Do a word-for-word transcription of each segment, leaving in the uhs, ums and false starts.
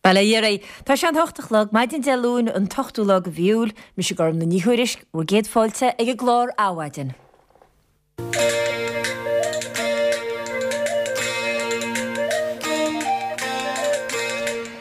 Bail ó Dhia oraibh. Tá sé an hocht a chlog, maidin Dé Luain an t-ochtú lá de mhí Iúil, mise Gormfhlaith Ní Thuairisg, bhur gcéad fáilte ag an gclár Adhmhaidin.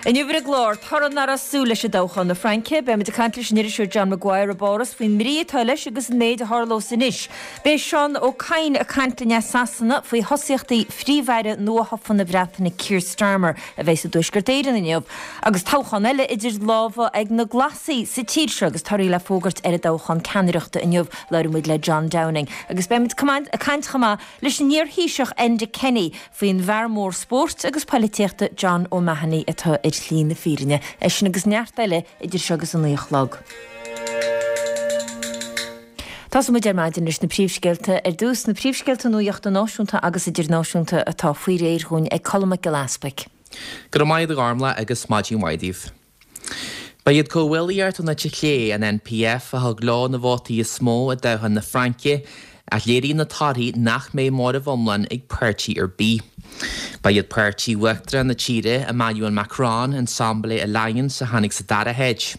Inniu ar an gclár, toradh nach raibh súil leis i dtoghchán na Fraince, beimid ag caint leis an iriseoir John Maguire i bPáras faoin mbrí atá leis agus an méid a tharlós anois. Beidh Seán Ó Cadhain ag caint linn as Sasana faoi thosaíochtaí Phríomh-Aire nuathofa na Breataine Keir Starmer a bheidh i dTuaisceart Éireann inniu agus toghchán eile idir lámha ag na Glasaigh sa tír seo agus torthaí le fógairt ar an dtoghchán ceannaireachta inniu. Labhróidh muid le John Downing agus beimid ag caint chomh maith leis an iar-Thaoiseach Enda Kenny faoin bhfear mór spóirt agus poilitíochta John O'Mahony atá ar shlí na fírinne. É sin agus neart eile idir seo agus a naoi a chlog. Tosóidh muid ar maidin leis na príomhscéalta ar dtús, na príomhscéalta nuachta náisiúnta agus idirnáisiúnta atá faoi réir dhúinn ag Colm Mac Giolla Easpaig. Go raibh maith agat a Ghormfhlaith agus maidin mhaith daoibh. Ba iad Comhghuaillíocht an Eite Chlé, an NPF, a thug leo na vótaí is mó i dtoghchán na Fraince, ach léiríonn na torthaí nach mbeidh móramh iomlán ag páirtí ar bith. Ba iad páirtí Uachtarán na tíre, Emmanuel Macron, Ensemble Alliance, a tháinig sa dara háit.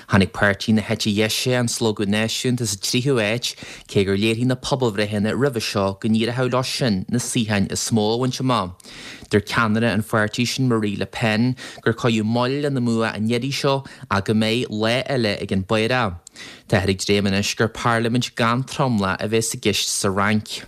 Tháinig páirtí na heite deise, an Slógadh Náisiúnta, sa tríú háit, cé gur léirigh na pobalbhreitheanna roimhe seo go n-éireodh leo sin na suíocháin is mó a bhaint amach. Dúirt ceannaire an pháirtí sin Marie Le Pen gur cuireadh moill lena mbua an iarraidh seo ach go mbeidh lá eile ag an bPaorach. Táthar ag dréim anois gur parlaimint gan tromlach a bheas i gceist sa Fhrainc.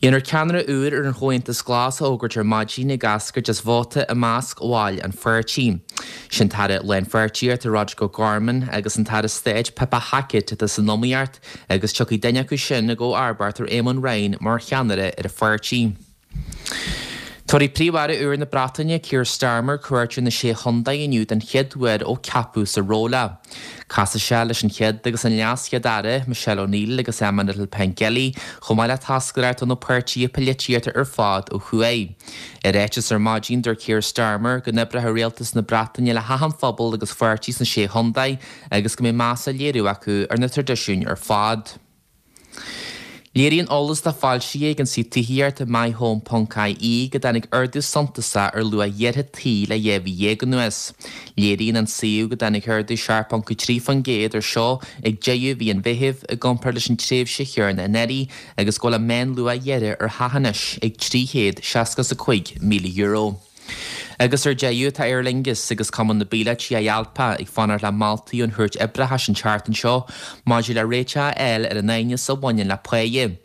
Dhéanfar ceannaire úr ar an Chomhaontas Glas a fhógairt ar maidin ag eascairt as vóta i measc bhaill an pháirtí. Sin tAire Lánpháirtíochta Roderic O'Gorman agus an tAire Stáit Pippa Hackett atá san iomaíocht agus tiocfaidh duine acu sin i gcomharbacht ar Éamon Ryan mar cheannaire ar an pháirtí. Tabharfaidh Príomh-Aire úr na Breataine, Keir Starmer, cuairt ar na Sé Chontae inniu den chéad uair ó ceapadh sa ról é. Casfaidh sé leis an Chéad agus an LeasChéad-Aire, Michelle O'Neill agus Emma Little-Pengelly, chomh maith le toscaireacht ó na páirtithe polaitíochta ar fad ó thuaidh. I ráiteas ar maidin, dúirt Keir Starmer go n-oibreoidh rialtas na Breataine le hachan phobal agus pháirtí sna Sé Chontae agus go mbeidh meas á léiriú acu ar na traidisiúin ar fad. Léiríonn eolas atá foilsithe ag an suíomh tithíochta MyHome ponc ie go dtáinig ardú suntasach ar luach iarrtha tí le dhá mhí dhéag anuas. Léiríonn an suíomh go dtáinig ardú seacht ponc trí faoin gcéad ar seo ag deireadh mhí an Mheithimh i gcomparáid leis an tréimhse chéanna anuraidh agus go bhfuil an meánluach iarrtha ar theach anois ag trí chéad seasca is a cúig míle euro. Agus ar deireadh, tá Aer Lingus agus Cumann na bPíolótaí IALPA ag fanacht le moltaí ón Chúirt Oibreachais an tseachtain seo maidir le réiteach a fháil ar an aighneas a bhaineann le páighe.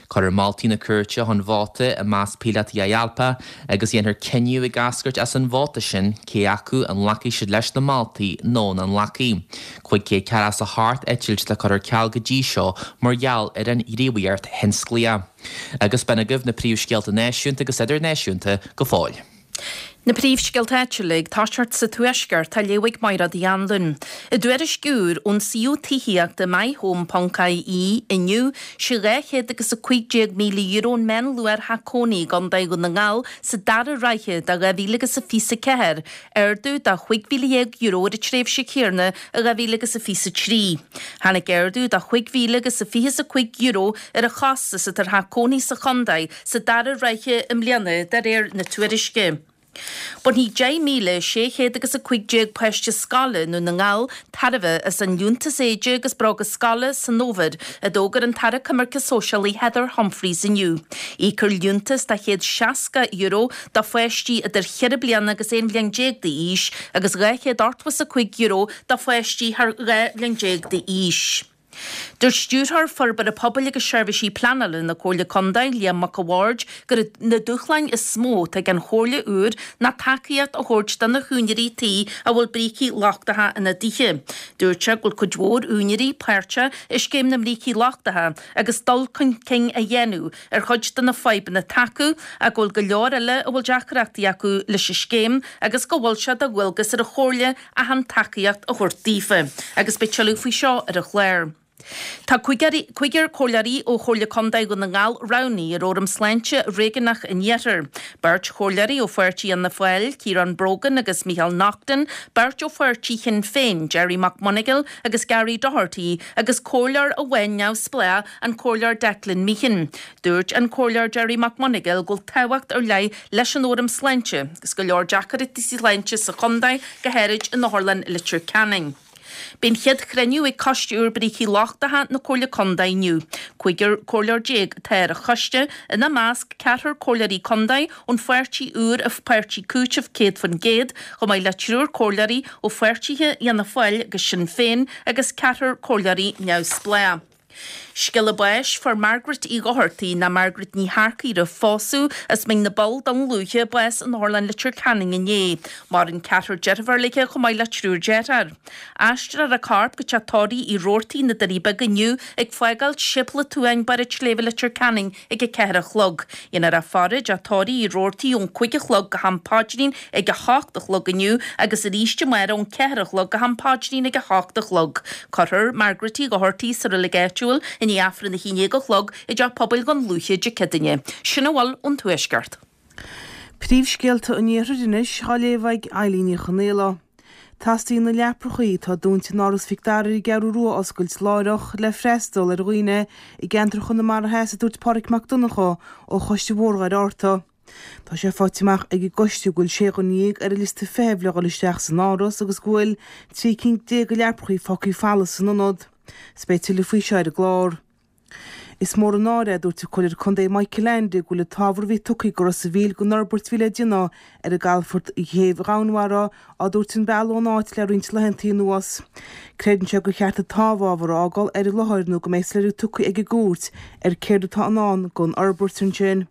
Cuirfear moltaí na cúirte chun vóta i measc píolótaí IALPA agus dhéanfar cinneadh ag eascairt as an vóta sin cé acu an nglacfaidh siad leis na moltaí nó nach nglacfaidh. Cúig chéad ceathracha is a hocht eitilt le cur ar ceal go dtí seo mar gheall ar an ghníomhaíocht thionsclaíoch. Agus b'in agaibh na príomhscéalta náisiúnta agus idirnáisiúnta go fóill. Na príomhscéalta áitiúla ag toiseacht sa Tuaisceart á léamh ag Mairéad Uí Anluain. I dtuairisc úr ón suíomh tithíochta MyHome ponc ie inniu, sé dhá chéad agus a cúig déag míle euro an meánluach ar theach cónaí i gContae Dhún na nGall sa dara ráithe de dhá mhíle agus a fiche a ceathair, ardú de chúig mhíle dhéag euro ar an tréimhse chéanna i dhá mhíle agus a fiche a trí. Tháinig ardú de chúig mhíle agus a fiche is a cúig euro ar an chostas atá ar theach cónaí sa chontae sa dara ráithe i mbliana, de réir na tuairisce. Bainfidh deich míle sé chéad agus a cúig déag páiste scoile i nDún na nGall tairbhe as an Liúntas Éide agus Bróga Scoile san fhómhar, a d'fhógair an tAire Coimirce Sóisialaí Heather Humphreys inniu. Íocfar liúntas de chéad seasca euro do pháistí idir cheithre bliana agus aon bhliain déag d'aois agus dhá chéad ochtó is a cúig euro do pháistí thar dhá bhliain déag d'aois. Dúirt Stiúrthóir Forbartha Pobail agus Seirbhísí Pleanála na Comhairle Contae, Liam Mac a' Bhaird, gur iad na dúshláin is mó atá ag an Chomhairle úr ná tacaíocht a thabhairt do na húinéirí tí a bhfuil brící lochtacha ina dtithe. Dúirt sé go bhfuil cuid mhór úinéirí páirteach i scéim na mbrící lochtacha agus dul chun cinn á dhéanamh ar chuid de na fadhbanna atá acu ach go bhfuil go leor eile a bhfuil deacrachtaí acu leis an scéim agus go bhfuil sé de dhualgas ar an Chomhairle achan tacaíocht a thabhairt daofa agus beidh tuilleadh faoi seo ar an chlár. Tá cúigear comhairleoirí ó Chomhairle Contae Dhún na nGall roghnaithe ar Fhóram Sláinte Réigiúnach an Iarthair. Beirt chomhairleoirí ó pháirtí Fhianna Fáil, Ciarán Brogan agus Micheál Naughton, beirt ó pháirtí Shinn Féin, Gerry McMonagall agus Gary Doherty, agus comhairleoir amháin neamhspleách, an Comhairleoir Declan Meehan. Dúirt an Comhairleoir Gerry McMonagall go bhfuil tábhacht ar leith leis an Fhóram Sláinte agus go leor deacrachtaí sláinte sa chontae, go háirid in Otharlann Leitir Ceanainn. Beidh an chéad chruinniú ag Coiste úr Brící Lochtacha na Comhairle Contae inniu. Cúigear comhairleoir déag atá ar an choiste, ina measc ceathrar comhairleoirí contae ón pháirtí úr Páirtí Cúitimh céad faoin gcéad, chomh maith le triúr comhairleoirí ó pháirtithe Fhianna Fáil agus Sinn Féin agus ceathrar comhairleoirí neamhspleách. Scéala báis, Fuair Margaret Uí Dhochartaigh, ná Margaret Ní Shearcaigh roimh phósadh, as Mín na bPoll, Dún Lúiche, bás in Otharlann Leitir Ceanainn inné. Maireann ceathrar deirfiúr léi chomh maith le triúr deartháir. Aistreofar a corp go teach tórraimh Uí Robhartaigh, na Doirí Beaga inniu ag fágáil Séipéal an tSuain, Barr an tSléibhe, Leitir Ceanainn ag a ceathair a chlog. Dhéanfar a faire i dteach tórraimh Uí Robhartaigh ón cúig a chlog go ham paidrín ag a hocht a chlog inniu agus arís amárach ón ceathair a chlog go ham paidrín ag a hocht a chlog. Cuirfear Margaret Uí Dhochartaigh sa reilig áitiúil i ndiaidh Aifreann a haon déag a chlog i dTeach Pobail Dhún Lúiche Dé Céadaoine. Sin a bhfuil ón Tuaisceart. Príomhscéalta an Iarthair anois á léamh ag Eilín Ní Chonaola. Teastaíonn na leaprachaí atá dúnta in Áras Mhic Dara ar an gCeathrú Rua a oscailt láithreach le freastal ar dhaoine i gceantar Chonamara Theas, a dúirt Pádraig Mac Donncha ó Choiste Bhóthar Dhoire Fhatharta. Tá sé faighte amach ag an gcoiste go bhfuil sé dhuine dhéag ar an liosta feithimh le dhul isteach san áras agus go bhfuil trí cinn déag de leaprachaí fágtha folamh san ionad. 'S beidh tuilleadh faoi seo ar an gclár. Is mór an náire, a dúirt an Comhairleoir Contae Michael Leainde, go bhfuil an t-ábhar a bhí tugtha do Ros a' Mhíl don fhorbairt a bhí le déanamh ar an gcalafort chéibh Dhomhanmhara á dtabhairt an bealach ón áit le roinnt laethanta anuas. Creideann sé gur cheart an t-amhábhar a fhágáil ar an láthair nó go mbeidh soiléiriú tugtha ag an gcúirt ar céard atá i ndán don fhorbairt ansin.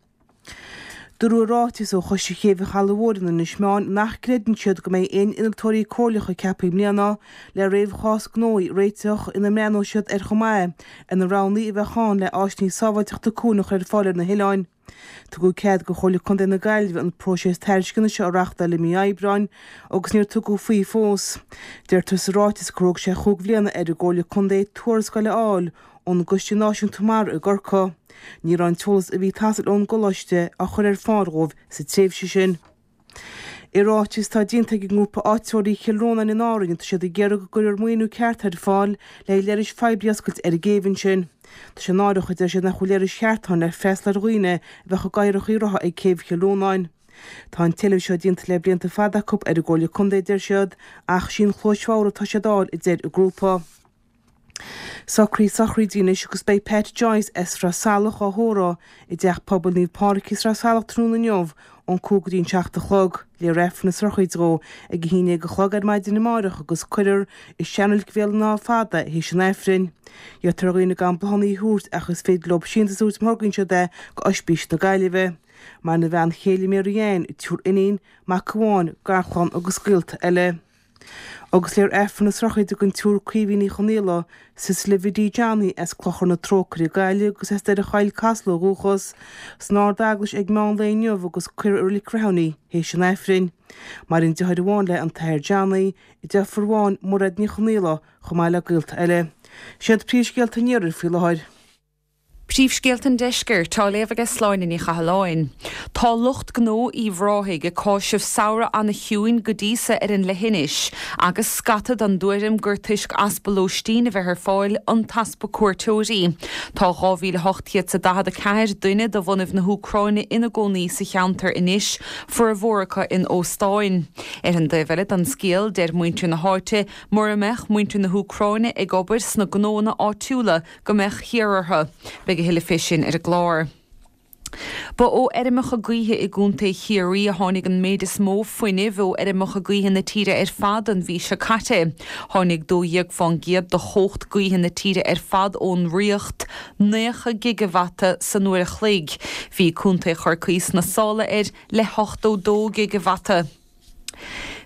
Dúradh i ráiteas ó Choiste Chéibh an Chalaidh Mhóir in Inis Meáin nach gcreideann siad go mbeidh aon innealtóirí comhairleacha ceaptha i mbliana le réamhchás gnó a réiteach ina mbreathnóidh siad ar chomh maith ar na roghanna a bheadh ann le áiseanna sábháilteachta cuain a chur ar fáil ar na hoileáin. Tugadh cead do Chomhairle Contae na Gaillimhe an próiseas tairisceana seo a reáchtáil i mí Aibreáin agus níor tugadh faoi fós. Deirtear sa ráiteas gur thóg sé chúig bhliana ar an gComhairle Contae tuarascáil a fháil ón gCoiste Náisiúnta Mara i gCorcaigh. Ní raibh an t-eolas a bhí ag teastáil ón gcoláiste á chur ar fáil dhóibh sa tréimhse sin. I ráiteas atá déanta ag an ngrúpa Áititheoirí Chill Rónáin in Árainn tá siad ag iarraidh go gcuirfear maoiniú ceart ar fáil le haghaidh leithris phoiblí a oscailt ar an gcéibh ansin. Tá sé náireach, a deir siad, nach bhfuil leithris cheart ann le freastal ar dhaoine a bheadh i gcathracha rotha ag céibh Chill Rónáin. Tá an t-éileamh seo déanta le blianta fada acu ar an gComhairle Contae, a deir siad, ach sí an chluais bhodhar atá siad a fháil, a deir an grúpa. Socruithe sochraide anois agus beidh Pat Joyce as Sraith Salach á thórramh i dTeach Pobail Naomh Pádraig i Sraith Salach tráthnóna inniu ón cúig go dtí an seacht a chlog. Léifear Aifreann na sochraide dhó ag a haon déag a chlog ar maidin amáireach agus cuirfear i Seanreilig Bhéal an Átha Fada é théis an Aifrinn. Iarrtar ar dhaoine gan bláthanna a thabhairt ach is féidir leo síntiús a thabhairt má thorgaíonn siad é go Oispís na Gaillimhe. Maireann a bhean chéile Mary Ann, triúr iníon, mac amháin, garchlann agus gaolta eile. Agus léifear Aifreann na sochraide don tSiúr Caoimhe Ní Chonaola, Cecily Bhiddy Johnny as Clochar na Trócaire, Gaillimh agus as Doire Choill, Casla ó dhúchas, san Ard-Eaglais ag meán lae inniu agus cuirfear i Reilig Rathúin í théis an Aifrinn. Maireann deartháir amháin léi, an tAthair Johnny, deirfiúr amháin, Mairéad Ní Chonaola, chomh maith le gaolta eile. Siad príomhscéalta an Iarthair faoi láthair. Príomhscéalta an Deiscirt á léamh aige Sláine Ní Chathalláin. Tá lucht gnó Uíbh Ráthaigh ag cáiseamh samhradh ana-chiúin go dtí so ar an leithinis, agus scata den dtuairim gur toisc easpa lóistín a bheith ar fáil an t-easpa cuairteoirí. Tá dhá mhíle ocht gcéad 's a daichead a ceathair duine de bhunaibh na hÚcráine ina gcónaí sa cheantar anois, formhór acu in óstáin. Ar an dtaobh eile den scéal, deir muintir na háite, mura mbeadh muintir na hÚcráine ag obair sna gnóanna áitiúla go mbeadh thiar orthu. Beidh a thuilleadh fé sin ar an gclár. Ba ó fheirmeacha gaoithe i gContae Chiarraí a tháinig an méid is mó fuinnimh ó fheirmeacha gaoithe na tíre ar fad an mhí seo caite. Tháinig dó dhéag fán gcéad de chumhacht gaoithe na tíre ar fad ón Ríocht, naocha gigeavata san uair a chloig. Bhí Contae Chorcaí sna sála air le hochtó dó gigeavata.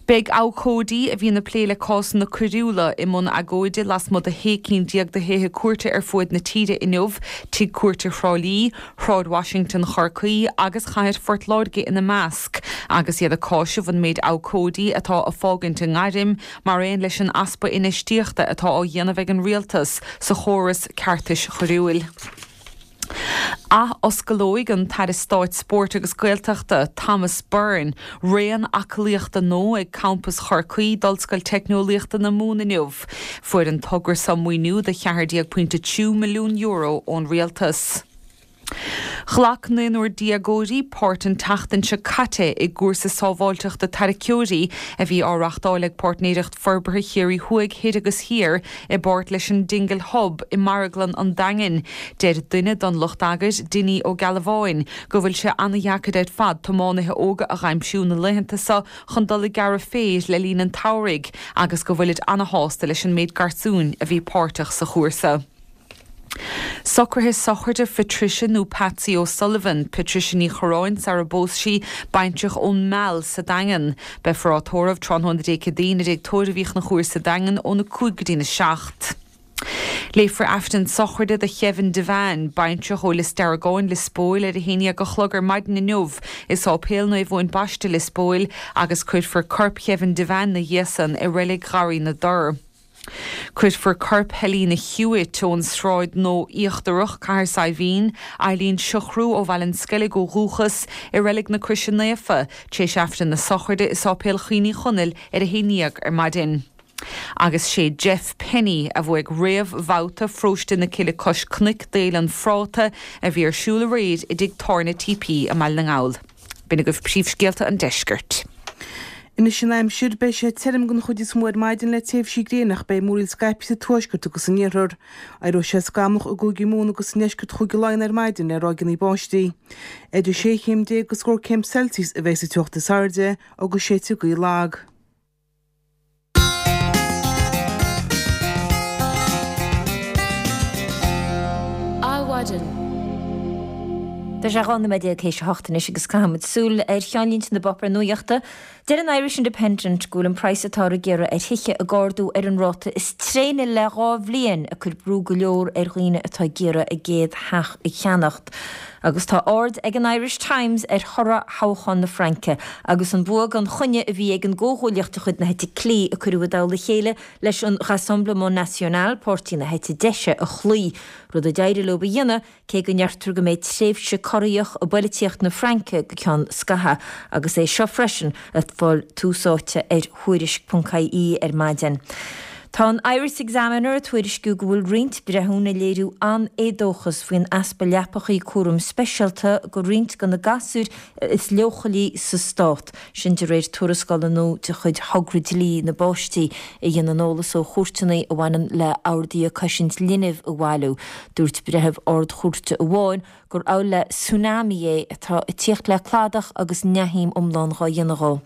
Beidh abhcóidí a bhíonn ag plé le cásanna coiriúla i mbun agóide lasmuigh de shé cinn déag de thithe cúirte ar fuaid na tíre inniu, Tigh Cúirte Thrá Lí, Shráid Washington Chorcaí agus Chathair Phort Láirge ina measc, agus iad ag cáiseamh an méid abhcóidí atá ag fágaint a ngairm, mar aon leis an easpa infheistíochta atá á dhéanamh ag an rialtas sa chóras ceartais choiriúil. Ath-osclóidh an tAire Stáit Spóirt agus Gaeltachta, Thomas Byrne, raon aclaíochta nua ag Campas Chorcaí d'Ollscoil Teicneolaíochta na Mumhan inniu. Fuair an togra seo maoiniú de cheathair déag pointe trí milliún euro ón rialtas. Ghlac naonúr déagóirí páirt an tseachtain seo caite i gcúrsa sábháilteachta tarracóirí a bhí á reáchtáil ag Páirtnéireacht Forbartha Chiarraí Thuaidh, Thoir agus Thiar i bpáirt leis an Dingle Hub i Marglann an Daingin. Deir duine den lucht eagair, Dinny Ó Gealbháin, go bhfuil sé an-dheacair ar fad tiománaithe óga a dh'aimsiú na laethanta seo chun dul ag gearradh féir le linn an tsamhraidh agus go bhfuilid ana-shásta leis an méid garsúin a bhí páirteach sa chúrsa. Socruithe sochraide Phatricia nó Patsy O'Sullivan, Patricia Ní Chorráin sara bpós sí, baintreach ón Meal sa Daingean. Beifear á tórramh tráthnóna Dé Céadaoin i dTigh Tórraimh Uí Chonchúir sa Daingean óna cúig go dtína seacht. Léifear Aifreann sochraide do Kevin Devane, baintreach ó Lios Deargáin, Lios Póil ar a haon dhéag a chlog ar maidin inniu i Sáipéal Naomh Eoin Baiste, Lios Póil agus cuirfear corp Kevin Devane 'na dhiaidh san i Reilig Gharraí na dTor. Cuirfear corp Helena Hewitt ón Sráid Nua Íochtarach, Cathair Saidhbhín, Eileen Siochrú ó Bhaile an Sceilg ó dhúchas, i Reilig na Croise Naofa, tar éis Aifreann na sochraide i Sáipéal Chaoin Uí Chonaill ar a haon dhéag ar maidin. Agus sé Jeff Penny a bhuaigh réamhbhabhta Pharóiste na Cille Cois Cnoic d'Fhéile an Phráta a bhí ar siúl aréir i dTigh Tábhairne T P i mBaile na nGall. B'in agaibh príomhscéalta an deiscirt. Anois an aimsir, beidh sé tirim den chuid is mó ar maidin le tréimhsí gréine ach beidh múraíl scaipthe sa tuaisceart agus san iarthar. Éireoidh sé scamallach i gCúige Mumhan agus i ndeisceart Chúige Laighean ar maidin le ráigeanna báistí. Idir sé chéim déag agus scór céim Celsius a bheidh sa teocht is airde agus séidfidh gaoth lag. Adhmhaidin. Tá sé dhá nóiméad déag théis a hocht anois agus caithfimid súil ar cheannlínte na bpáipéar nuachta. Deir an Irish Independent go bhfuil an praghas atáthar ag iarraidh ar thithe ag ardú ar an ráta is tréine le dhá bhliain, ag cur brú go leor ar dhaoine atá ag iarraidh a gcéad theach a cheannacht. Agus tá aird ag an Irish Times ar thoradh thoghchán na Fraince agus an bua gan choinne a bhí ag an gcomhghuaillíocht de chuid na heite clí a cuireadh i dtoll a chéile leis an Rassemblement National, páirtí na heite deise, a chloí, rud a d'éirigh leo a dhéanamh cé go ndeirtear go mbeidh tréimhse corraitheach i bpolaitíocht na Fraince go ceann scaithimh. Agus é seo freisin ag fáil tús áite ar Thuairisc ponc ie ar maidin. Tá an Irish Examiner ag tuairisciú go bhfuil roinnt breithiúna ag léiriú an-éadóchas faoin easpa leapachaí cúraim speisialta do roinnt de na gasúir is leochailí sa stát, sin de réir tuarascála nua de chuid Thogra Dlí na bPáistí a dhéanann eolas ó chúirteanna a bhaineann le horduithe cosaint linbh a bhailiú. Dúirt breitheamh Ard-Chúirte amháin gur amhail le tsunami é atá ag tíocht le cladach agus neamhshuim iomlán dhá dhéanamh dhó.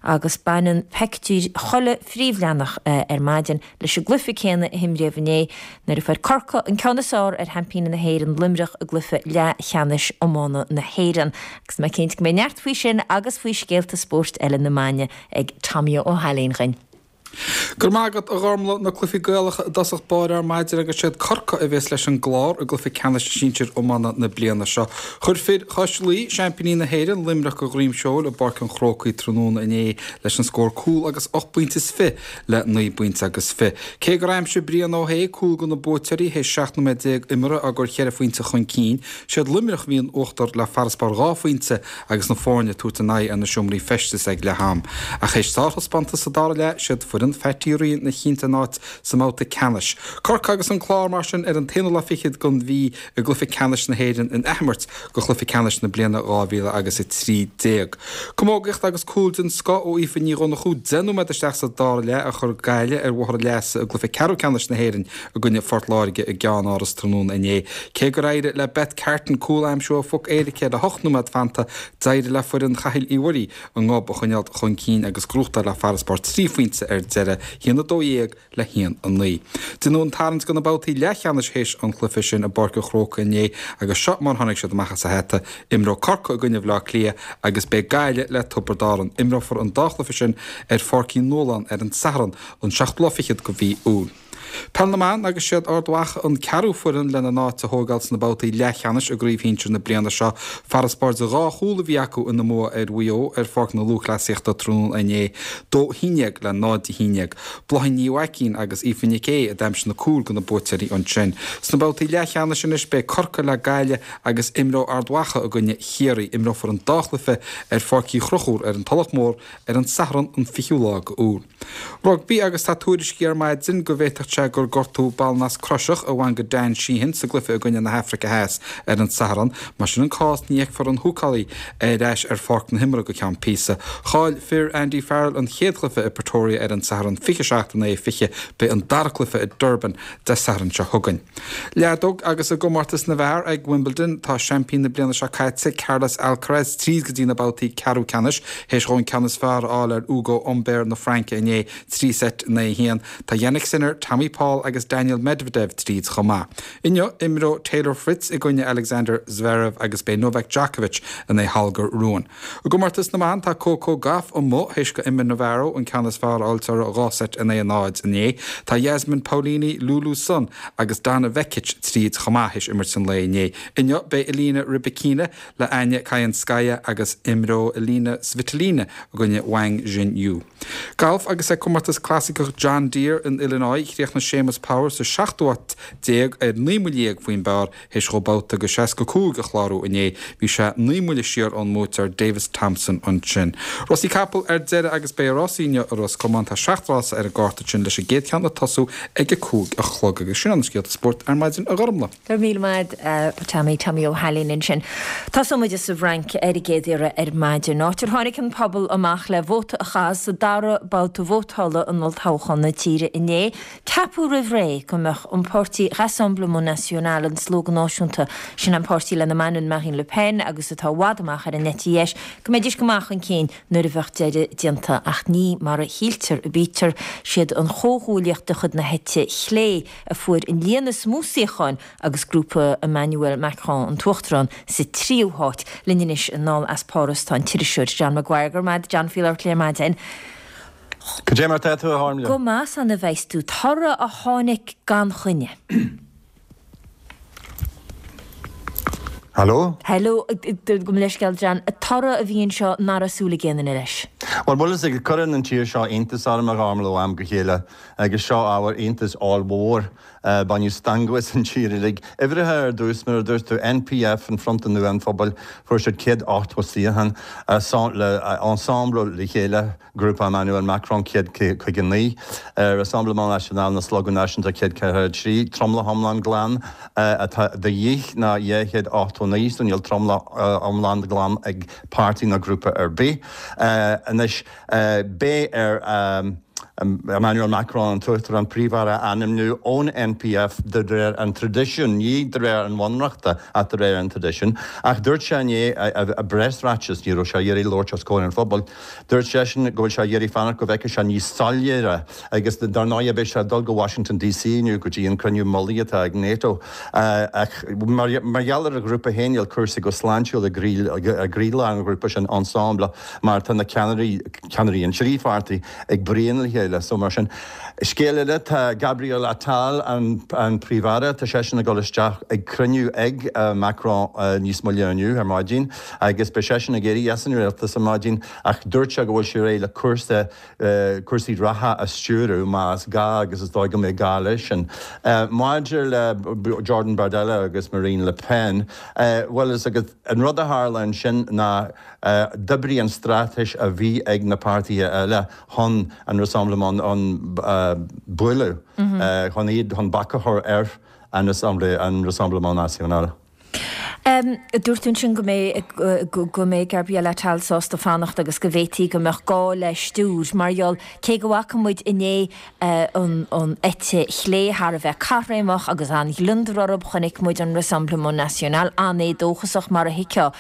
Agus baineann pictiúr chuile phríomhleathanach ar maidin leis an gcluiche céanna a himríodh inné nuair a fuair Corcaigh an ceann is fearr ar sheaimpíní na hÉireann Luimneach i gcluiche leathcheannais iomána na hÉireann. Agus mé cinnte go mbeidh neart faoi sin agus faoi scéalta spóirt eile na maidine ag Tommy Ó hAilín dhuinn. Go raibh maith agat, a Ghormlaith. Na cluichí Gaelacha i dtosach báire ar maidin agus siad Corcaigh a bhéas leis an gClár i gcluiche ceannais sinsir iomána na bliana seo. Chuir fir Chois Laoi, seaimpíní na hÉireann, Luimneach go dhroim seoil i bPáirc an Chrócaigh tráthnóna inné leis an scór cúl agus ocht bpointe is fiche le naoi bpointe agus fiche. Cé gur aimsigh Brian Ó hAodha cúl do na buaiteoirí théis seacht nóiméad déag imeartha á gcur cheithre phointe chun cinn, siad Luimneach a bhí in uachtar le farasbarr dhá phointe agus na foirne ag tabhairt a n-aghaidh ar na seomraí feistis ag leath am. Ach théis sárthaispeántas sa dara leath, siad foireann Phatty Ryan a chinntigh a n-áit sa mbabhta ceannais. Corcaigh agus an Clár mar sin ar an t-aonú lá fichead den mhí i gcluiche ceannais na hÉireann in athimirt do chluiche ceannais na bliana dhá mhíle agus a trí déag. Camógaíocht agus cúl den scoth ó Aoife Ní Dhonnchú deich nóiméad isteach sa dara leath a chuir Gaillimh ar bhóthar a leasa i gcluiche ceathrú ceannais na hÉireann i gcoinne Phort Láirge i gceannáras tráthnóna inné. Cé gur éirigh le Beth Carton cúl a aimsiú ó phoc éirice le hocht nóiméad fanta, d'éirigh le foireann Chathail Uí Mhuirí a ngob a choinneáil chun cinn agus gnóthachtáil le farasbarr trí phointe ar deireadh. haon a dó dhéag le haon a naoi. Deineadh an tarraingt do na babhtaí leathcheannais théis an chluiche sin i bPáirc an Chrócaigh inné agus seo mar tháinig siad amach as a hata. Imreoidh Corcaigh i gcoinne Bhaile Átha Cliath agus beidh Gaillimh le Tiobraid Árann. Imreofar an dá chluiche sin ar Pháirc Uí Nualláin ar an Satharn an seachtú lá fichead de mhí Iúil. Peil na mBan agus siad Ard Mhacha an ceathrú foireann lena n-áit a thógáil sna babhtaí leathcheannais i gcraobh shinsir na bliana seo. Farasbarr de dhá chúl a bhí acu ina mbua ar Mhaigh Eo ar Pháirc na Lúthchleasaíochta tráthnóna inné, dó a haon déag le náid a haon déag. Bláithín Ní Mhaicín agus Aoife Nic Aodha a d'aimsigh na cúil do na buaiteoirí ansin. Sna babhtaí leathcheannais anois beidh Corcaigh le Gaillimh agus imreoidh Ard Mhacha i gcoinne Chiarraí. Imreofar an dá chluiche ar Pháirc Uí Chonchúir ar an Tulach Mhór ar an Satharn an fichiú lá de Iúil. Rugbaí agus tá tuairiscí ar maidin go bhféadfadh sé gur gortú ballnasc croiseach a bhain go Dan Sheehan sa gcluiche i gcoinne na hAfraice Theas ar an Satharn. Mar sin an cás ní fheicfear an húcálaí ar ais ar pháirc na himeartha go ceann píosa. Chaill fir Andy Farrell an chéad chluiche i Pretoria ar an Satharn fiche seacht in aghaidh fiche. Beidh an dara cluiche i Durban Dé Sathairn seo chugainn. Leadóg agus i gcomórtas na bhfear ag Wimbledon tá seaimpín na bliana seo caite Carlos Alcaraz tríd go dtí na babhtaí ceathrú ceannais théis dhó an ceann is fearr a fháil ar Ugo Humbert na Fraince inné trí seit in aghaidh a haon. Tá Jannik Sinner, Tommy Paul agus Daniel Medvedev tríd chomh maith. Inniu imreoidh Taylor Fritz i gcoinne Alexander Zverev agus beidh Novak Djokovic in aghaidh Holger Rune. I gcomórtas na mban tá Coco Gauff amuigh théis go Emma Navarro an ceann is fearr a fháil uirthi dhá seit in aghaidh a náid inné. Tá Jasmine Paolini, Lulu Sun agus Donna Vekic tríd chomh maith théis imirt an lae inné. Inniu beidh Elena Rybakina le Anna Kalinskaya agus imreoidh Elina Svitolina i gcoinne Wang Xinyu. Galf agus ag comórtas clasaiceach John Deere in Illinois chríochnaigh Séamus Power sa seachtú háit déag ar naoi mbuille déag faoin bpar théis dhó babhta de seasca cúig a chlárú inné. Bhí sé naoi mbuille siar ón mbuaiteoir Davis Thompson ansin. Rásaí capall ar deireadh agus beidh rásaí inniu i Ros Comáin tá seacht rása ar an gcárta sin leis an gcéad cheann ag tosú ag a cúig a chlog agus sin an scéalta spóirt ar maidin a Ghormlaith. Go raibh míle maith Tommy Tommy Ó hAilín ansin. Tosóidh muid sa bhFrainc ar an gcéad iarraidh ar maidin. Áit ar tháinig an pobal amach le vóta a chaitheamh sa dara babhta vótála in olltoghchán na tíre inné. Ceapadh roimh ré go mbeadh an páirtí Rassemblement National an Slógadh Náisiúnta sin an páirtí lena mbaineann Marine Le Pen agus atá i bhfad amach ar an eite dheis go mbeidís go maith chun cinn nuair a bheadh deireadh déanta ach ní mar a shíltear a bítear siad an chomhghuaillíocht de chuid na heite clé a fuair an líon is mó suíochán agus grúpa Emmanuel Macron an tUachtarán sa tríú háit linn anois anall as Páras tá an t-iriseoir John Maguire go raibh maith John faoi labhairt le maidin. Cad é mar tá tú a Ghormlaith? Go maith san a bheas tú toradh a tháinig gan choinne. Hello? Hello, gabh mo leithscéal John, toradh a bhí anseo nach raibh súil ag aon duine leis. Bhuel, bhfuil fhios agat, cuireann an tír seo iontas orm a Ghormlaith ó am go chéile agus seo ábhar iontais ollmhór. Baineadh stangadh as an tír uilig. Uimhreacha ar dtús, mar a dúirt tú, NPF, an Fronta Nua an Phobail, fuair siad céad ochtó suíochán, Ensemble le chéile, grúpa Emmanuel Macron, céad caoga naoi, Rassemblement National nó Slógadh Náisiúnta, céad ceathracha a trí, tromlach iomlán glan atá de dhíth ná dhá chéad ochtó naoi, so níl tromlach iomlán glan ag páirtí ná grúpa ar bith. Anois, beidh ar Emmanuel Macron, an tUachtarán, Príomh-Aire a ainmniú ón NPF de réir an traidisiúin, ní de réir an bhunreachta ach de réir an traidisiúin. Ach dúirt sé inné i bpreasráiteas, ní raibh sé ag iarraidh labhairt os comhair an phobail, dúirt seisean go bhfuil sé ag iarraidh fanacht go bhfeicfidh sé níos soiléire agus dar ndóigh beidh sé ag dul go Washington DC inniu go dtí an cruinniú mullaigh atá ag NATO. Ach mar gheall ar a ghrúpa féin níl cúrsaí go sláintiúil i gcroílár an ghrúpa sin, Ensemble, mar tá na ceannairí, ceannairí an trí pháirtí, ag bruíon le chéile. So mar sin. Scéal eile, tá Gabriel Attal, an Príomh-Aire, tá seisean ag dul isteach ag cruinniú ag Macron níos moille inniu ar maidin agus beidh seisean ag éirí as an rialtas ar maidin ach dúirt sé go bhfuil sé réidh le cúrsa, cúrsaí reatha a stiúradh más gá agus is dóigh go mbeidh gá leis sin. Maidir le Jordan Bardella agus Marine Le Pen, bhuel is agat, an rud a tharla ansin ná d'oibrigh an straitéis a bhí ag na páirtithe eile chun an Rassemblement a bhualadh, chun iad, chun bac a chur ar an Rassemblement National. Dúirt tú ansin go mbeidh go mbeidh Gabriel Attal sásta fanacht agus go bhféadfaí go mbeadh gá le stiúir mar gheall cé go bhfaca muid inné an an eite chlé thar a bheith caithréimeach agus an-ghliondar orthu, chonaic muid an Rassemblement National an-éadóchasach mar a thuigfeá.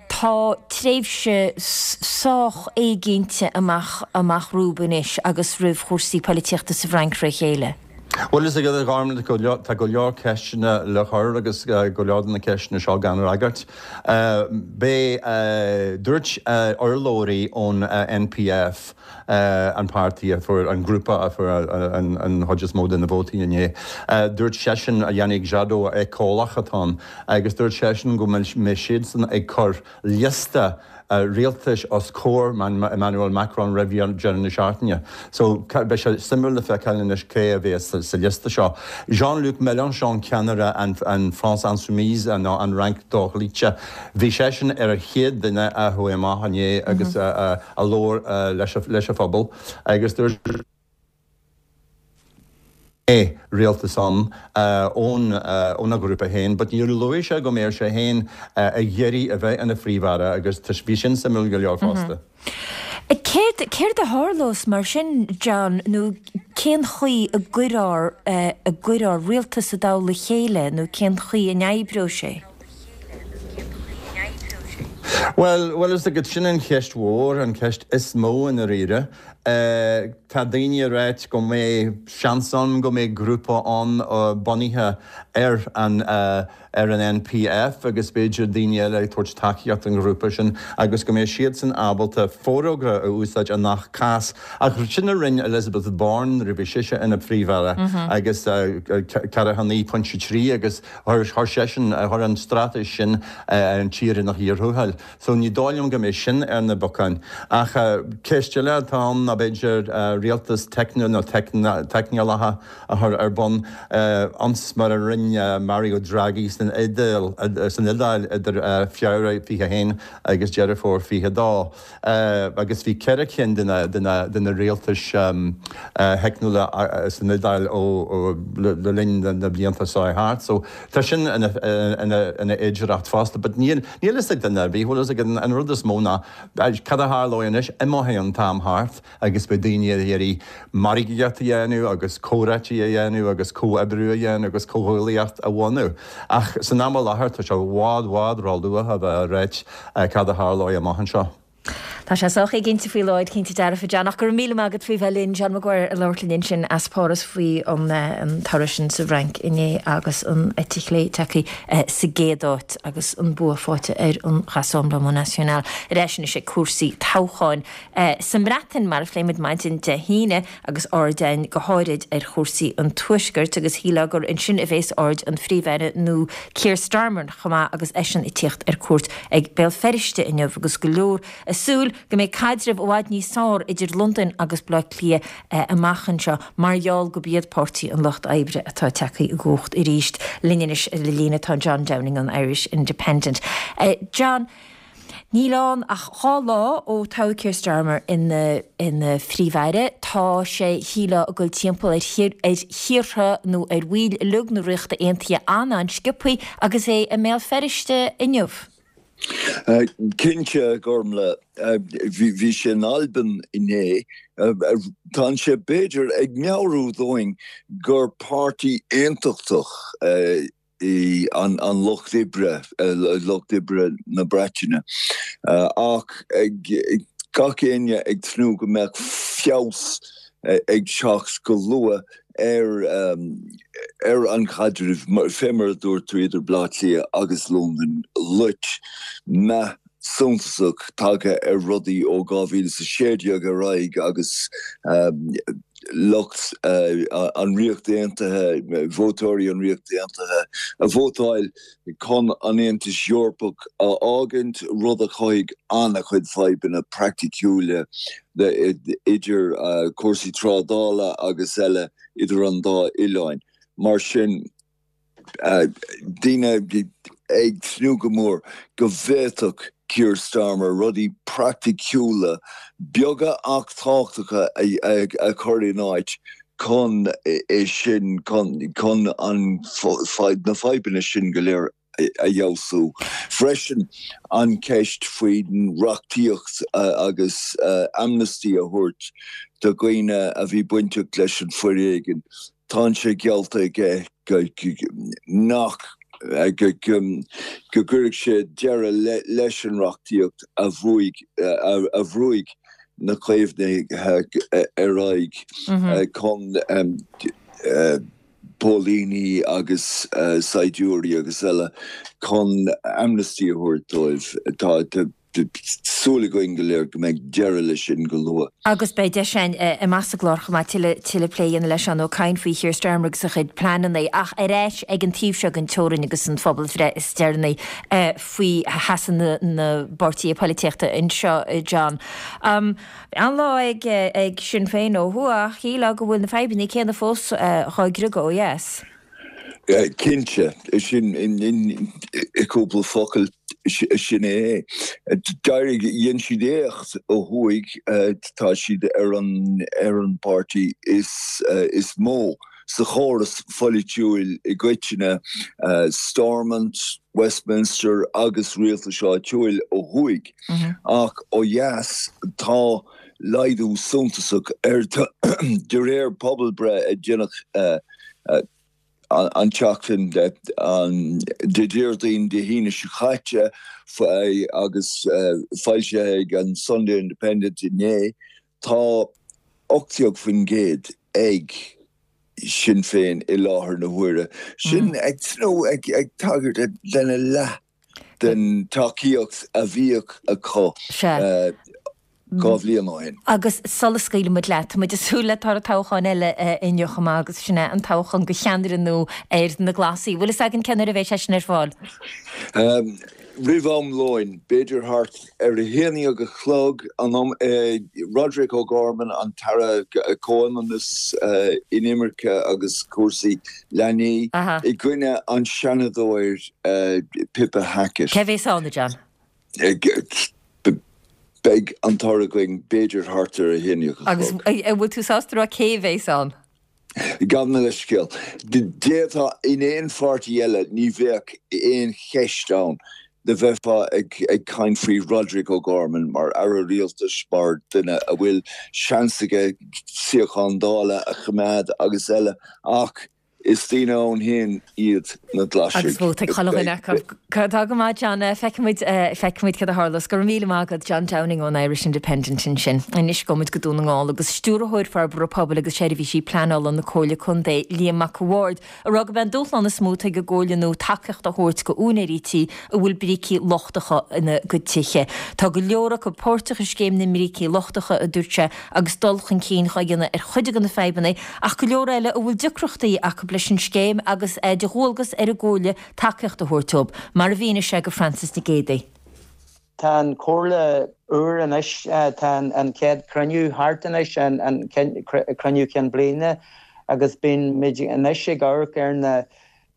Tá tréimhse sách éiginnte amach amach rompu anois agus roimh chúrsaí poilitíochta sa bhFrainc fré chéile. Bhuel, is ag Gormlaith tá go leor ceisteanna le cur agus go leor de na ceisteanna seo gan fhreagairt. B'é dúirt urlabhraí ón N P F, an páirtí a fuair an grúpa a fuair an chuid is mó de na vótaí inné, dúirt seisean a Yannick Jadot éiceolaí atá ann agus dúirt seisean go mbeidh siadsan ag cur liosta rialtais os comhair Emmanuel Macron roimh deireadh na seachtaine. So beidh sé suimiúil le feiceáil anois cé a bheas sa liosta seo. Jean-Luc Mélenchon ceannaire an, an France Insoumise an, an Fhrainc dhochloíte. Bhí seisean ar a chéad duine a chuaigh amach inné agus mm -hmm. a, a labhair leis, leis an phobal agus dúirt é rialtas ann ón óna ghrúpa féin, but níor luaigh sé go mbeadh sé féin ag iarraidh a bheith ina phríomh-aire agus bhí sin suimiúil go leor fosta. Céard céard a tharlós mar sin John nó cén chaoi a gcuirfear a gcuirfear rialtas i dtoll a chéile nó cén chaoi a n-oibreodh sé? Well, well is go sin an cheist mhór an cheist is mó i ndáiríre. Uh, tá daoine ag ráit go mbeidh seans ann go mbeidh grúpa ann uh, bunaithe ar an uh, ar an N P F agus b'fhéidir daoine eile ag tabhairt tacaíocht an ghrúpa sin agus go mbeidh siadsan ábalta forógra a úsáid i ngach cás ach sin a rinne Elizabeth Bourne roimh sise ina príomh-aire mm -hmm. agus ceathracha naoi pointe trí agus chuir seisean chuir an straitéis sin an tír ina chíor thuathail. So ní dóigh liom go mbeidh sin ar na bacáin. Ach ceist eile atá ann ná b'fhéidir rialtas teicniúil nó teicneolaithe a chur ar bun ionas mar a rinne Mario Draghi san Iodáil san Iodáil idir Feabhra fiche haon agus Deireadh Fómhair fiche dó. Agus bhí ceithre cinn de na rialtais theicniúla san Iodáil ó le linn na blianta seo thart. So tá sin ina fhéidearthacht fosta, but níl níl a fhios ag duine bhí bhfuil ag an rud is mó ná cad a tharlóidh anois imeoidh an t-am thart agus beidh daoine ag iarraidh margaíocht a dhéanamh agus comhráití a dhéanamh agus comhoibriú a dhéanamh agus comhghuaillíocht a bhunú. Ach san am i láthair tá sé i bhfad bhfad róluath a bheith ag ráit cad a tharlóidh amach anseo. Tá sé sách éiginnte faoi láthair cinnte dearfa John ach go raibh míle maith agat faoi bheith linn John Maguire ag labhairt linn sin as Páras faoi an an toradh sin sa bhFrainc inné agus an eite chlé tagtha sa gcéad áit agus an bua faighte ar an Rassemblement National. Ar ais anois ag cúrsaí toghcháin sa mBreatain mar a phléimid maidin Dé hAoine agus aird againn go háirid ar chúrsaí an tuaiscirt agus shílfeá gur ansin a bheas aird an phríomh-aire nó Keir Starmer chomh maith agus eisean ag tíocht ar cuairt ag Béal Feirste inniu agus go leor ag súil go mbeidh caidreamh i bhfad níos fearr idir Londain agus Baile Átha Cliath amach anseo mar gheall gurb iad Páirtí an Lucht Oibre atá tagtha i gcumhacht arís linn anois ar líne tá John Downing an Irish Independent. Uh, John, Níl ann ach dhá lá ó toghadh Keir Starmer ina ina phríomh-aire tá sé shílfeá ag dul timpeall ar ar thíortha nó ar bhaill uilig na Ríochta Aontaithe an-an-sciobtha agus é i mBéal Feirste inniu. Uh, Cinnte Gormlaith bhí sé in Albain inné Tá sé b'fhéidir ag meabhrú dúinn gur páirtí aontachtach í an, an lucht oibre lucht oibre na Breataine ach gach éinne ag tnúth go mbeadh feabhas ag teacht go luath ar um, ar an chaidreamh fé mar a dúirt tú idir Baile Átha Cliath agus Londain loit meath suntasach tagtha ar rudaí ó dhá mhíle is a sé déag ar aghaidh agus um, lucht uh, an Ríocht Aontaithe vótóirí an Ríocht Aontaithe a vótáil chun an Aontas Eorpach a fhágaint rud a chothaigh an-chuid fadhbanna praiticiúla idir uh, cúrsaí trádála agus eile idir an dá oileáin. Mar sin uh, daoine ag tnúth go mór go bhféadfadh Keir Starmer rudaí praiticiúla beaga ach tábhachtacha a, a chur in áit chun é sin chun an na fadhbanna sin go léir a fheabhsú. Freisin an cheist faoin reachtaíocht agus amnesty a thabhairt do dhaoine a bhí bainteach leis an bhforéigean, tá sé geallta aige nach go gcuirfidh sé deireadh leis an reachtaíocht a bhuaigh a bhrúigh na Caomhnaithe ar aghaidh chun póilíní agus saighdiúirí agus eile chun amnesty a thabhairt dóibh. Tá súil againn go léir go mbeidh deireadh leis sin go luath. Agus beidh deis againn amach sa gclár chomh maith tuilleadh tuilleadh plé a dhéanamh le Seán Ó Cadhain faoi Keir Starmer agus a chuid pleananna ach ar ais ag an taobh seo den teorainn agus an phobalbhreith is deireanaí faoi sheasamh na bpáirtithe polaitíochta anseo, John. An-lá ag ag Sinn Féin ó thuaidh ach shílfeá go bhfuil na fadhbanna céanna fós dhá gcriogadh ó dheas. Cinnte, sin i gcúpla focal sin é. D'éirigh, dhein siad éacht ó thuaidh, tá siad ar an ar an bpáirtí is is mó sa chóras pholaitiúil i gcoitinne, Stormont, Westminster agus rialtais áitiúil ó thuaidh. Ach ó dheas tá laghdú suntasach ar de réir pobalbhreith a deineadh an tseachtain Dé Déardaoin Dé hAoine seo caite agus foilsithe ag an Sunday Independent inné, tá ocht déag faoin gcéad ag Sinn Féin i láthair na huaire. Sin ag ag tagairt lena leath den tacaíocht a bhíodh acu dhá bhliain ó shin. Agus sula scaoilfidh muid leat, tá muid ag súil le toradh toghcháin eile inniu chomh maith agus sin é an toghchán do cheannaire nua ar na Glasaigh. Bhfuil fhios againn cén uair a bheidh sé sin ar fáil? Roimh am lóin, b'fhéidir thart ar a haon déag a chlog, an am, Roderic O'Gorman, an tAire Comhionannais, Inimirce agus Cúrsaí Leanaí, i gcoinne an Seanadóir Pippa Hackett. Cé bhéas ann, a John? Beidh an toradh againn b'fhéidir thart ar a haon déag a chlog. Agus an bhfuil tú sásta a rá cé bhéas ann? Gabh mo leithscéal. D'fhéadfá, in aon pháirtí eile ní bheadh aon cheist ann do bheifeá ag caint faoi Roderic O'Gorman mar Aire Rialtais, mar duine a bhfuil seans aige suíochán Dála a choimeád agus eile ach is daoine ann féin iad na Glaisigh. Agus vóta ag chuile dhuine acu. Tá go maith John, feicfidh muid, feicfidh muid cad a tharlós. Go raibh míle maith agat John Downing ón Irish Independent ansin. Anois gabhfaidh muid go Dún na nGall agus Stiúrthóir Forbartha Pobail agus Seirbhísí Pleanála na Comhairle Contae, Liam Mac a' Bhaird, a rá gurb é an dúshlán is mó atá ag an gComhairle nua tacaíocht a thabhairt go úinéirí tí a bhfuil brící lochtacha ina gcuid tithe. Tá go leor acu páirteach i scéim na mbrící lochtacha, a dúirt sé, agus dul chun cinn dhá dhéanamh ar chuid de na fadhbanna, ach go leor eile a bhfuil deacrachtaí acu leis an scéim agus é de dhualgas ar an gComhairle tacaíocht a thabhairt dóibh, mar a mhínigh sé go Frances Nic Géadaigh. Tá an Chomhairle úr anois, tá an chéad chruinniú thart anois, an cruinniú cinn bliana, agus bíonn muid anois ag amharc ar na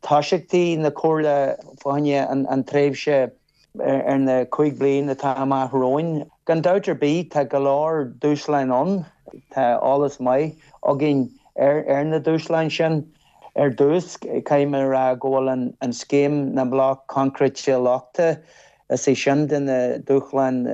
tosaíochtaí na Comhairle fá choinne an tréimhse ar na cúig bliana atá amach romhainn. Gan dabht ar bith tá go leor dúshláin ann, tá eolas maith againn ar na dúshláin sin. Ar dtús, caithfidh mé a rá go bhfuil an scéim na mbloc coincréite lochta, is é sin de na dúshláin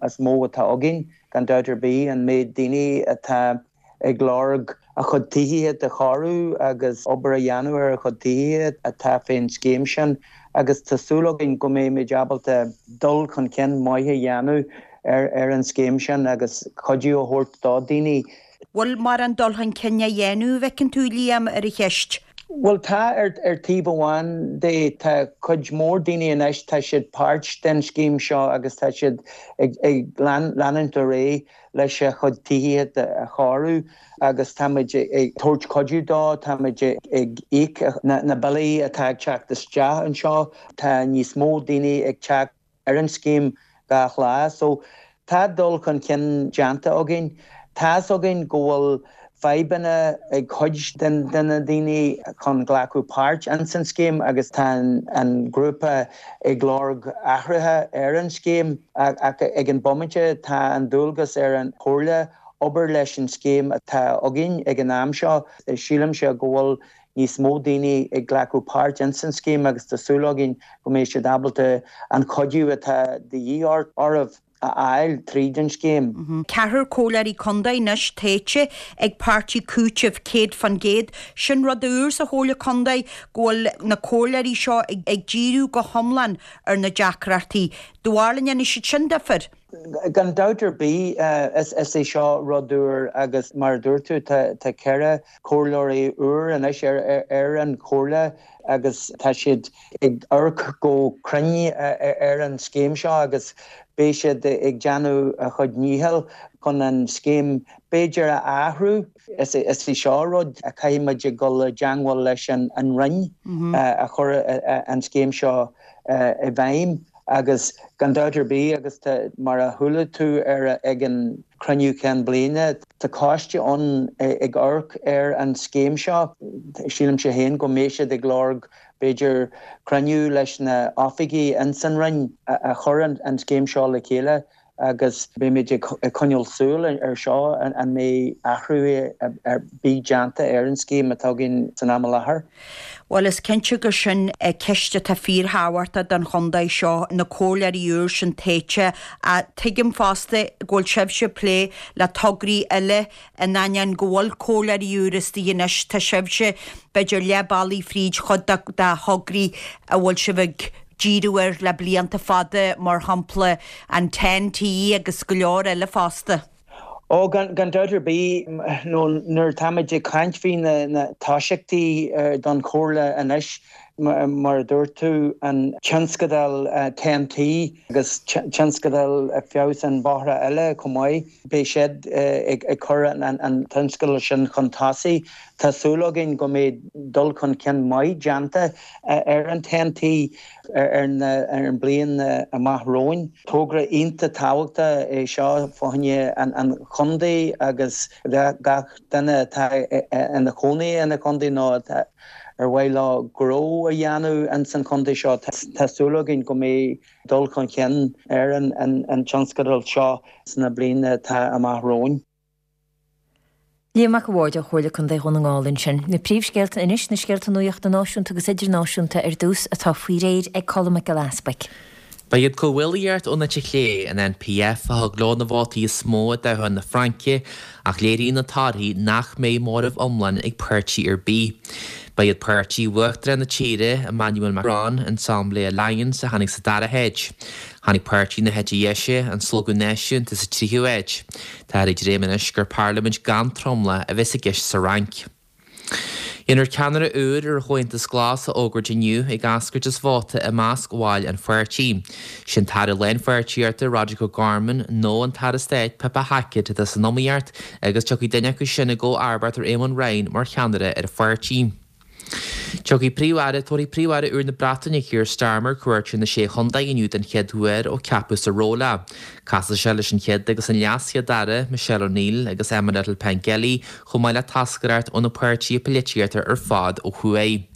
is mó atá againn, gan dabht ar bith, an méid daoine atá ag lorg a chuid tithíochta do chóiriú agus obair a dhéanamh ar a chuid tithíochta atá fén scéim sin agus tá súil againn go mbeimid ábalta dul chun cinn maith a dhéanamh ar an scéim sin agus cuidiú a thabhairt do daoine. Bhfuil mórán dul chun cinn á dhéanamh, an bhfeiceann tú, Liam, ar an cheist? Bhuel tá, ar taobh amháin de tá cuid mhór daoine anois, tá siad páirt den scéim seo agus tá siad ag leanúint ar aghaidh leis a chuid tithíochta a chóiriú agus táimid ag tabhairt cuidiú dó, táimid ag íoc na billí atá ag teacht isteach anseo, tá níos mó daoine ag teacht ar an scéim gach lá. So tá dul chun cinn déanta againn. Tá's againn go bhfuil fadhbanna ag cuid de na daoine chun glacadh páirt ins an scéim agus tá an grúpa ag lorg athruithe ar an scéim ach ag an bomaite tá an dualgas ar an Chomhairle obair leis an scéim atá againn ag an am seo. Sílimse go bhfuil níos mó daoine ag glacadh páirt ins an scéim agus tá súil againn go mbeidh siad ábalta an cuidiú atá de dhíth orthu a fháil tríd an scéim. Ceathrar comhairleoirí contae anois tofa ag páirtí cúitimh céad fan gcéad. Sin rud úr sa Chomhairle Contae go bhfuil na comhairleoirí seo ag díriú go hiomlán ar na deacrachtaí. Do bharúil an ndéanfaidh siad sin difear? Gan dabht ar bith, is é seo rud úr agus mar a dúirt tú tá ceithre comhairleoirí úr anois ar an chomhairle agus tá siad ag amharc go cruinn ar an scéim seo agus beidh siad ag déanamh a chuid nícheall chun an scéim b'fhéidir a athrú. Is é seo rud a chaithfidh muid ag dul i dteangmháil leis an Roinn a chur an scéim seo i bhfeidhm agus gan dabht ar bith agus mar a chuala tú ar ag an cruinniú cinn bliana, tá coiste ann ag amharc ar an scéim seo. Sílimse féin go mbeidh siad ag lorg b'fhéidir cruinniú leis na oifigigh ins an Roinn a chur an scéim seo le chéile agus beimid ag coinneáil súil ar seo an mbeidh athrú ar bith déanta ar an scéim atá againn san am i láthair. Bhuel, is cinnte gur sin ceist atá fíorthábhachtach don chontae seo, na comhairleoirí úr sin tofa. Tuigim fosta go bhfuil sibhse ag plé le tograí eile in ainneoin go bhfuil comhairleoirí úr istigh anois, tá sibhse b'fhéidir leath bealaigh fríd chuid de thograí a bhfuil sibh ag díriú air le blianta fada, mar shampla an Ten-T agus go leor eile fosta. Ó, gan dabht ar bith, nó nuair atáimid ag caint faoi na toiseachtaí don Chomhairle anois, mar a dúirt tú, an tionscadal Ten-T agus tionscadal feabhas an bóithre eile chomh maith, beidh siad ag cur an tionscadal sin chun tosaigh. Tá súil againn go mbeidh dul chun cinn maith déanta ar an Ten-T ar an mbliain amach romhainn. Togra iontach tábhachtach é seo fá choinne an chontae agus gach duine atá ina chónaí ina chontae nó atá ar mhaith leo gnó a dhéanamh ins an chontae seo. Tá súil againn go mbeidh dul chun cinn ar an tionscadal seo sna bliana atá amach romhainn. Liam Mac a' Bhaird ó Chomhairle Contae Dhún na nGall ansin. Na príomhscéalta anois, na scéalta nuachta náisiúnta agus idirnáisiúnta ar dtús atá faoi réir ag Colm Mac Giolla Easpaig. Ba iad Comhghuaillíocht ón eite chlé, an N P F, a thug leo na vótaí is mó i dtoghchán na Fraince, ach léiríonn na torthaí nach mbeidh móramh iomlán ag páirtí ar bith. Ba iad páirtí Uachtarán na tíre, Emmanuel Macron, Ensemble Alliance, a tháinig sa dara háit. Tháinig páirtí na heite deise, an Slógadh Náisiúnta, sa tríú háit. Tá ag dréim anois gur parlaimint gan tromlach a bheas i gceist sa Fhrainc. Déanfar ceannaire úr ar Chomhaontas Glas a fhógairt inniu ag eascairt as vóta i measc bhaill an pháirtí. Sin tAire Lánpháirtíochta Roderic O'Gorman nó an tAire Stáit Pippa Hackett atá san iomaíocht agus tiocfaidh duine acu sin i gcomharbacht ar Éamon Ryan mar cheannaire ar an pháirtí. Tiocfaidh Príomh-Aire tabharfaidh Príomh-Aire úr na Breataine Keir Starmer cuairt ar na Sé Chontae inniu den chéad uair ó ceapadh sa ról é. Casfaidh sé leis an chéad agus an leaschéad-aire Michelle O'Neill agus Emma Little Pengelly chomh maith le toscaireacht ó na páirtithe polaitíochta ar fad ó thuaidh.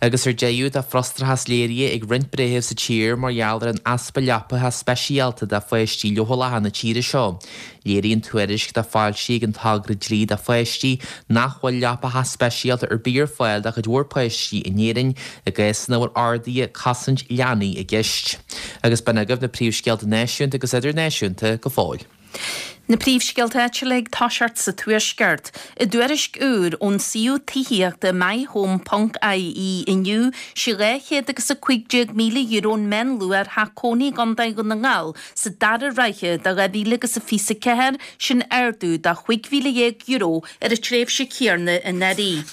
Agus ar deireadh tá frustrachas léirithe ag roinnt breitheamh sa tír mar gheall ar an easpa leapacha speisialta do pháistí leochaileacha na tíre seo. Léiríonn tuairisc atá foilsithe ag an togra dlí do pháistí nach bhfuil leapacha speisialta ar bith ar fáil do chuid mhór páistí in Éirinn i gcás ina bhfuil orduithe cosaint leanaí i gceist. Agus b'in agaibh na príomhscéalta náisiúnta agus idirnáisiúnta go fóill. Na príomhscéalta áitiúla ag toiseacht sa Tuaisceart. I dtuairisc úr ón suíomh tithíochta myhome ponc I E inniu sé dhá chéad agus a cúig déag míle euro an meánluach ar theach cónaí i gContae Dhún na nGall sa dara ráithe de dhá mhíle agus a fiche a ceathair, sin ardú de chúig mhíle dhéag euro ar an tréimhse chéanna anuraidh.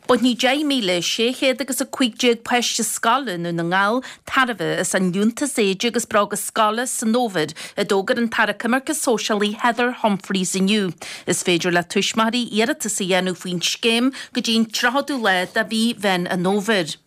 Bainfidh deich míle sé chéad agus a cúig déag páiste scoile i nDún na nGall tairbhe as an liúntas éide agus bróga scoile san fhómhar, a d'fhógair an tAire Coimirce Sóisialaí Heather Humphreys inniu. Is féidir le tuismitheoirí iarratas a dhéanamh faoin scéim go dtí an tríochadú lá de mhí Mheán an Fhómhair.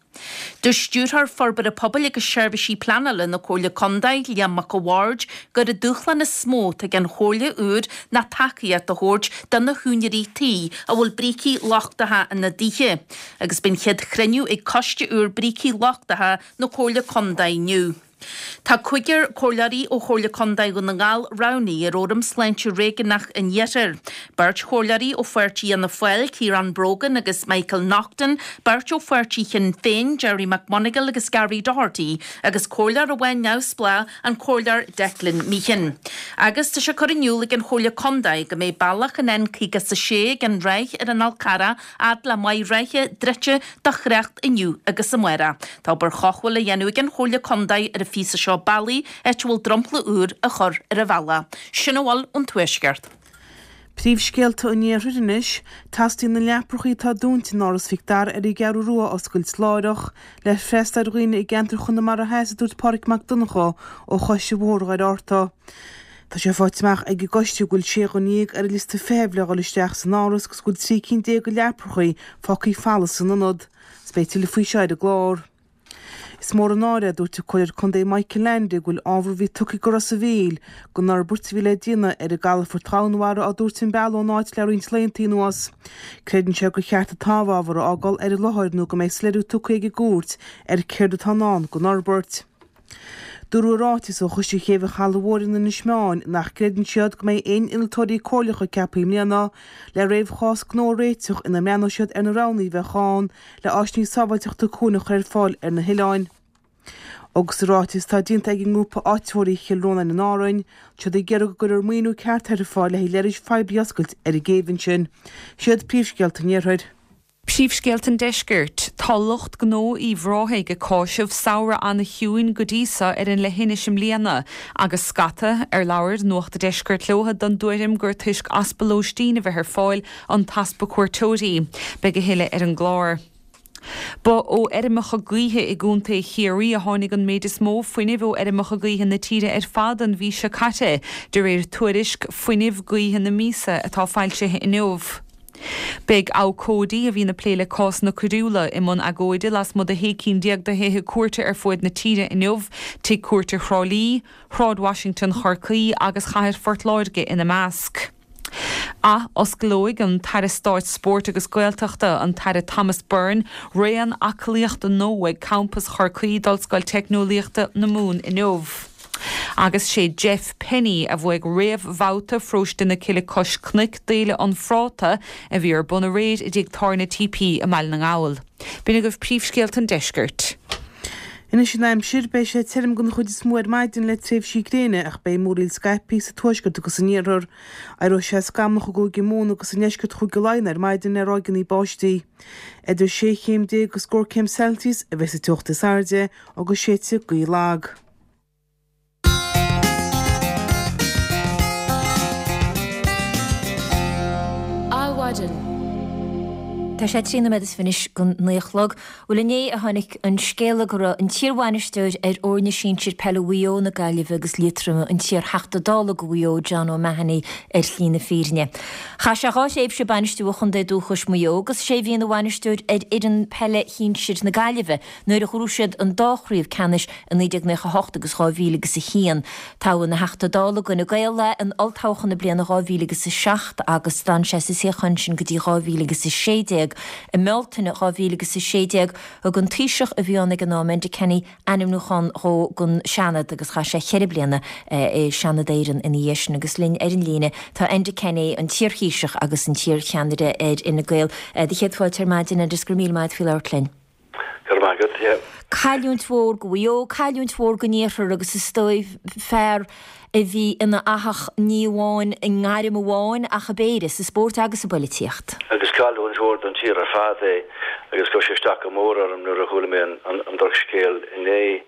Dúirt Stiúrthóir Forbartha Pobail agus Seirbhísí Pleanála na Comhairle Contae, Liam Mac a' Bhaird, gur an dúshlán is mó atá ag an Chomhairle úr ná tacaíocht a thabhairt do na húinéirí tí a bhfuil brící lochtacha ina dtithe. Agus b'in chéad chruinniú ag coiste úr brící lochtacha na Comhairle Contae inniu. Tá cúigear comhairleoirí ó Chomhairle Contae Dhún na nGall roghnaithe ar Fhóram Sláinte Réigiúnach an Iarthair. Beirt chomhairleoirí ó pháirtí Fhianna Fáil, Ciarán Brogan agus Michael Naughton, beirt ó pháirtí Shinn Féin, Gerry McMonagall agus Gary Doherty, agus comhairleoir amháin neamhspleách, an Comhairleoir Declan Meehan. Agus tá sé curtha in iúl ag an Chomhairle Contae go mbeidh bealach an N caoga is a sé ag an Ráth ar an Fhál Carrach fhad le Maigh Rátha druidte do thrácht inniu agus amárach. Tá obair chothabhála á dhéanamh ag an Chomhairle Contae ar an phíosa seo bealaigh, áit a bhfuil dromchla úr á chur ar an bhealach. Sin a bhfuil ón Tuaisceart. Príomhscéalta an Iarthair anois, Teastaíonn na leaprachaí atá dúnta in Áras Mhic Dara ar an gCeathrú Rua a oscailt láithreach le freastal ar dhaoine i gceantar Chonamara Theas, a dúirt Pádraig Mac Donncha ó Choiste Bhóthar Dhoire Fhatharta. Tá sé faighte amach ag an gcoiste go bhfuil sé dhuine dhéag ar an liosta feithimh le dhul isteach san áras agus go bhfuil trí cinn déag de leaprachaí fágtha folamh san ionad. Is beidh tuilleadh faoi seo ar an gclár. Is mór an náire, a dúirt an Comhairleoir Contae Michael Leainde, go bhfuil ábhar a bhí tugtha go Ros a' Mhíl don fhorbairt a bhí le déanamh ar an gcalafort Dhomhanmhara á dtabhairt an bealach ón áit le roinnt laethanta anuas. Creideann sé gur cheart an t-amhábhar a fhágáil ar an láthair nó go mbeidh soiléiriú tugtha ag an gcúirt ar céard atá i ndán don fhorbairt. Dúradh i ráiteas ó Choiste Chéibh an Chalaidh Mhóir in Inis Meáin nach gcreideann siad go mbeidh aon innealtóirí comhairleacha ceaptha i mbliana le réamhchás gnó a réiteach ina mbreathnóidh siad ar na roghanna a bheadh ann le áiseanna sábháilteachta cuain a chur ar fáil ar na hoileáin. Agus sa ráiteas atá déanta ag an ngrúpa áititheoirí Chill Rónáin in Árainn, tá siad ag iarraidh go gcuirfear maoiniú ceart ar fáil le haghaidh leithris phoiblí a oscailt ar an gcéibh ansin. Siad príomhscéalta an Iarthair. Príomhscéalta an Deiscirt. Tá lucht gnó Uíbh Ráthaigh ag cáiseamh samhradh an-chiúin go dtí so ar an leithinis i mbliana agus scata ar labhair Nuacht an Deiscirt leo den dtuairim gur toisc easpa lóistín a bheith ar fáil an t-easpa cuairteoirí. Beidh a thuilleadh ar an gclár. Ba ó fheirmeacha gaoithe i gContae Chiarraí a tháinig an méid is mó fuinnimh ó fheirmeacha gaoithe na tíre ar fad an mhí seo caite, de réir tuairisc Fuinneamh Gaoithe na Míosa atá foilsithe inniu. Beidh abhcóidí a bhíonn ag plé le cásanna coiriúla i mbun agóide lasmuigh de shé cinn déag de thithe cúirte ar fuaid na tíre inniu, Tigh Cúirte Thrá Lí, Shráid Washington Chorcaí agus Chathair Phort Láirge ina measc. Ath-osclóidh an tAire Stáit Spóirt agus Gaeltachta, an tAire Thomas Byrne, raon aclaíochta nua ag Campas Chorcaí d'Ollscoil Teicneolaíochta na Mumhan inniu. Agus sé Jeff Penny a bhuaigh réamhbhabhta Pharóiste na Cille Cois Cnoic d'Fhéile an Phráta a bhí ar bun aréir i dTigh Tábhairne T P i mBaile na nGall. B'in agaibh príomhscéalta an deiscirt. Anois an aimsir, beidh sé tirim den chuid is mó ar maidin le tréimhsí gréine ach beidh múraíl scaipthe sa tuaisceart agus san iarthar. Éireoidh sé scamallach i gCúige Mumhan agus i ndeisceart Chúige Laighean ar maidin le ráigeanna báistí. Idir sé chéim déag agus scór céim Celsius a bheidh sa teocht is airde agus séidfidh gaoth lag. Adhmhaidin. Tá sé trí nóiméad is fiche anois don naoi a chlog. Bhuel inné a tháinig an scéala go raibh an t-iarbhainisteoir ar fhoirne sinsir peile Mhaigh Eo, na Gaillimhe agus Liatroma, an t-iar-Theachta Dála do Mhaigh Eo, John O'Mahony, ar shlí na fírinne. Chaith sé dhá thréimhse ag bainistiú a chontae dúchais Maigh Eo agus sé a bhí ina bhainisteoir ar fhoireann peile shinsir na Gaillimhe nuair a ghnóthaigh siad an dá chraobh ceannais i naoi déag nócha a hocht agus dhá mhíle agus a haon. Toghadh ina Theachta Dála d'Fhine Gael é in olltoghchán na bliana dhá mhíle agus a seacht agus d'fhan sé sa suíochán sin go dtí dhá mhíle agus a sé déag. I mBealtaine dhá mhíle agus a sé déag, thug an Taoiseach a bhí ann ag an am, Enda Kenny, ainmniúchán dhó don Seanad agus chaith sé ceithre bliana i Seanad Éireann ina dhiaidh sin. Agus linn ar an líne tá Enda Kenny, an t-iar-Thaoiseach agus an t-iar-cheannaire ar Fhine Gael. Do chéad fáilte ar maidin, Enda, is go raibh míle maith agat faoi labhairt linn. Go raibh maith agat, yeah. Cailliúint mhór do Mhaigh Eo, cailliúint mhór don Iarthar agus is dóigh fear a bhí ina fhathach ní amháin i ngairm amháin ach i bpéire, sa spórt agus sa bpoilitíocht. Agus cailliúint mhór don tír ar fad é agus chuir sé isteach go mór orm nuair a chuala mé an drochscéal inné.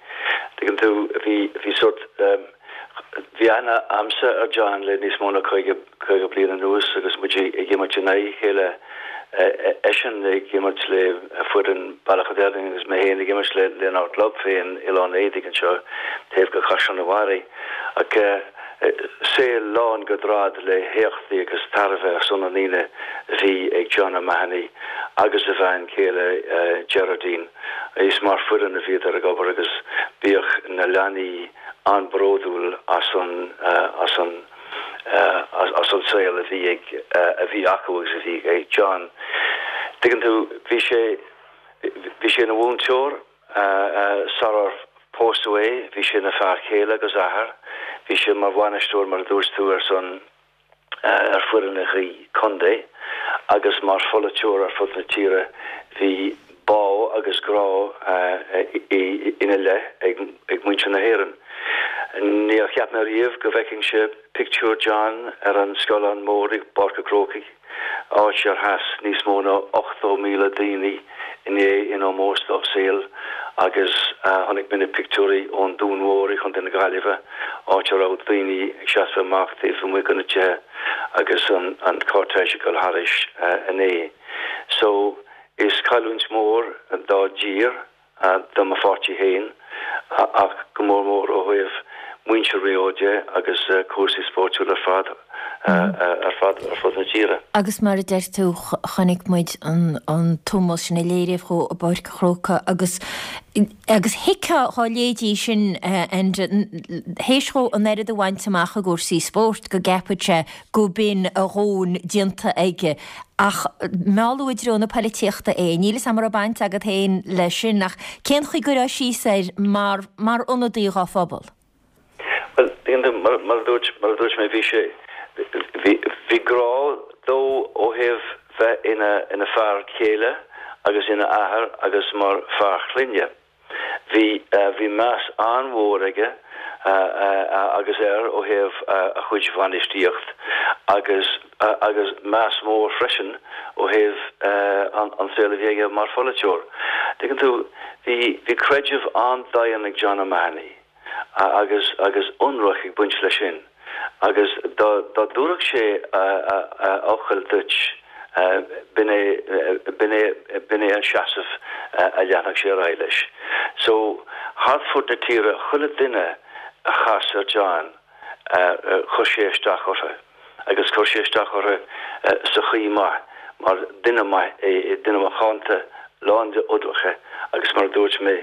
Tuigeann tú, bhí, bhí sórt, bhí aithne a'msa ar John le níos mó ná caoga, caoga bliain anuas agus muid ag imirt in aghaidh a chéile, eisean ag imirt le foireann Bealach an Doirlinn agus mé féin ag imirt le lenár gclub féin, Oileán Éadaigh anseo taobh go Caisleán an Bharraigh. Ach saol lán go droim le héachtaí agus tairbhe ar son na ndaoine a bhí ag John O'Mahony agus a bhean chéile Gerardine. Is mar foireann a bhíodar ag obair agus bíodh na leanaí an-bhródúil as an as an as an saol a bhí ag a bhí acu agus a bhí ag John. Tuigeann tú, bhí sé bhí sé ina mhúinteoir sarar Pósadh é, bhí sé ina fear céile agus athair, bhí sé mar bhainisteoir, mar a dúirt tú, ar son ar foireann contae agus mar pholaiteoir ar fud na tíre bhí bá agus grá ina leith ag muintir na hÉireann. Níor cheap mé riamh go bhfeicfinnse pictiúr John ar an scáileán mór i bPáirc an Chrócaigh, áit ar sheas níos mó ná ochtó míle daoine inné in ómós dá saol agus chonaic mé na pictiúirí ón Dún Mór i gContae na Gaillimhe, áit a raibh daoine ag seasamh amach taobh amuigh de na tithe agus an cortège ag dul thairis inné. So, is cailliúint mór dá dtír, do mo pháirtí féin ach go mór mór ó thaobh muintir Mhaigh Eo de agus cúrsaí spóirtiúla ar fad ar fad ar fud na tíre. Agus mar a deir tú, chonaic muid an t-ómós sin a léiríodh dhó i bPáirc an Chrócaigh agus agus thuigfeá dhá léiríodh sin Enda, théis dhó an oiread a bhaint amach i gcúrsaí spóirt go gceapfadh sé go b'in a dhóthain déanta aige. Ach mealladh i dtreo na poilitíochta é. Níl 'fhios a'm an raibh baint agat féin leis sin, ach cén chaoi gcuirfeá síos air mar mar ionadaí dhá phobal? Bhuel, mar mar a dúirt mar a dúirt mé, bhí sé bhí bhí grá dó ó thaobh bheith ina ina fear céile agus ina athair agus mar fear clainne. Bhí bhí meas an-mhór aige agus air ó thaobh a chuid bhainistíocht agus agus meas mór freisin ó thaobh an saol a bhí aige mar pholaiteoir. Tuigeann tú, bhí bhí creideamh an-daingean ag John O'Mahony agus agus ionraic ag baint leis sin agus dá dá dtabharfadh sé a fhocal duit b'in é b'in é b'in é an seasamh a leanfadh sé ar aghaidh leis. So, thart fud na tíre, chuile duine a chas ar John, chuir sé isteach orthu agus chuir sé isteach orthu sa chaoi maith mar duine maith é, duine macánta, lán de ionraice agus mar a dúirt mé,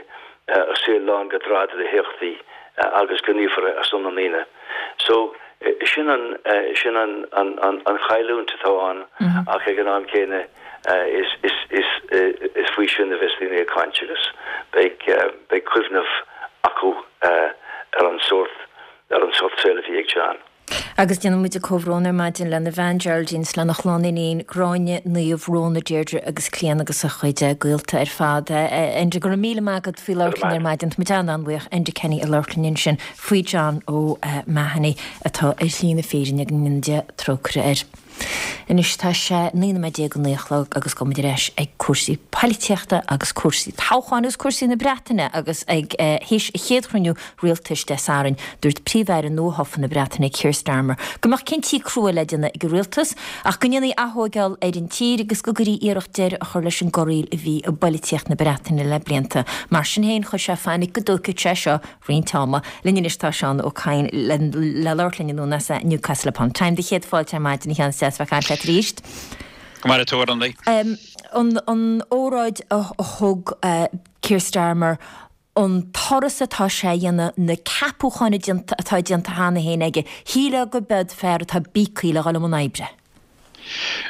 a saol lán de dhrad le héachtaí agus gníomhartha ar son na ndaoine. So, sin an sin an an an chailliúint atá ann ach ag an am céanna is is is is faoi sin a bheas daoine ag caint agus beidh beidh cuimhneamh acu ar an sórt ar an sórt saoil a bhí ag John. Agus déanann muid comhbhrón ar maidin lena bhean Geraldine 's lena chlann iníon Gráinne, Niamh, Rhona, Deirdre agus Clíona agus a chuid gaolta ar fad. Enda, go raibh míle maith agat faoi labhairt linn ar maidin. Tá muid an-an-bhuíoch. Enda Kenny ag labhairt linn ansin faoi John O'Mahony atá ar shlí na fírinne go ndéana Dia trócaire air. Anois tá sé naoi nóiméad déag go naoi a chlog agus gabhfaidh muid ar ais ag cúrsaí poilitíochta agus cúrsaí toghcháin agus cúrsaí na Breataine agus ag théis a chéad chruinniú rialtais Dé Sathairn dúirt Príomh-Aire nuathofa na Breataine Keir Starmer go mbeadh cinntí crua le déanamh ag an rialtas ach go ndéanfaí athógáil ar an tír agus go gcuirfí iarracht deireadh a chur leis an gcorraíl a bhí i bpoilitíocht na Breataine le blianta. Mar sin féin chuir sé fainic go dtógfadh sé seo roinnt ama. Linn anois tá Seán Ó Cadhain le labhairt linn anonn as Newcastle upon Tyne. Do chéad fáilte ar maidin a Sheáin is deas bheith ag caint leat arís. Go maire tú a Orlaith. An an óráid a thug Keir Starmer, an turas atá sé a dhéanamh, na ceapúcháin atá déanta cheana féin aige, shílfeá go b'eod fear atá bíogtha le dhul i mbun oibre.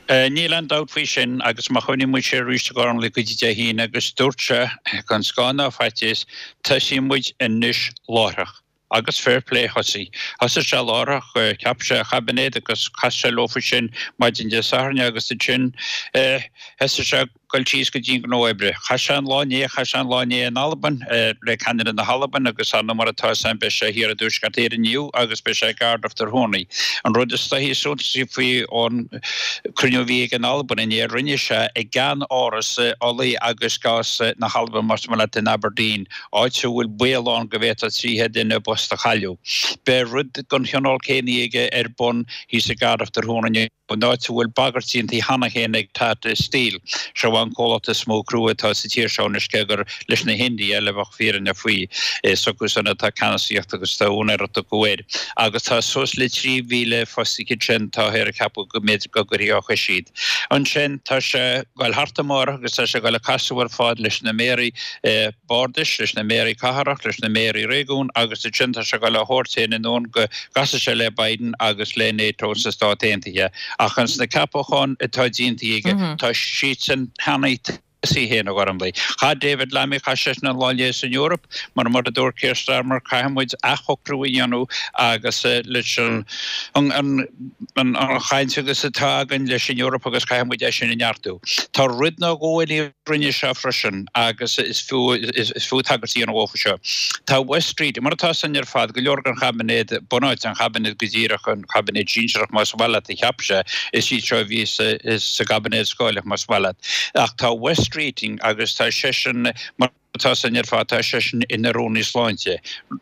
Níl aon dabht faoi sin agus má chuimhníonn muid siar arís a Ghormlaith go dtí Dé hAoine agus dúirt sé gan scáth ná faitíos, tosaíonn muid anois láithreach. Agus fair play thosaigh. Thosaigh sé láithreach, cheap sé a chaibinéad agus chas sé leofa sin maidin Dé Sathairn agus ansin thosaigh sé goil síos go dtí an gnó oibre. Chaith sé an lá inné, chaith sé an lá inné in Albain le ceannaire na hAlban agus ar ndóigh mar atá 'fhios a'm beidh sé thiar i dTuaisceart Éireann inniu agus beidh sé i gCardiff tráthnóna. An rud is dóichí is suntasaí faoi an cruinniú a bhí aige in Albain inné, rinne sé i gceann-áras ola agus gás na hAlban más maith leat in Aberdeen, áit a bhfuil baol ann go bhféadfadh trí chéad duine a bpost a chailleadh. Beidh rud den chineál céanna aige ar bun thíos i gCardiff tráthnóna inniu. an áit a bhfuil bagairt déanta cheana féin ag Tata Steel. Seo an comhlacht is mó crua atá sa tír seo anois cé gur leis na hIndiaigh le bheadh fírinne faoi. Is acu san atá ceannasaíocht agus tá úinéireacht acu air. Agus tá suas le trí mhíle fostaithe ansin táthar ag ceapadh go mb'fhéidir go gcuirfí á chois iad. Ansin tá sé ag goil thart amárach agus tá sé ag goil ag casadh ar fad leis na méaraí bardais, leis na méaraí cathrach, leis na méaraí réigiún agus ansin tá sé ag goil á thabhairt féin anonn go gcasfaidh sé le Biden agus le NATO sna Stáit Aontaithe. Ach ins na ceapacháin atá déanta aige, tá siadsan cheana í féin, a Ghormlaith. Chaith David Lammy, chaith seisean an lá inné san Eoraip, mar mar a dúirt Keir Starmer, caithfidh muid athshocrú a dhéanamh agus leis an an chaint agus atá againn leis an Eoraip agus caithfidh muid é sin a neartú. Tá rud nó dhó eile a rinne sé freisin agus is fiú is fiú tagairt a dhéanamh dhófa seo. Tá Wes Streeting, mar atá san ar fad, go leor den chaibinéad, bunáite an chaibinéid go díreach, an caibinéad sinsearach más maith leat a cheap sé, is iad seo a bhí sa gcaibinéad scáileach más maith leat. Ach tá Wes Streeting agus tá seisean, mar atá san ar fad, tá seisean ina Rúnaí Sláinte.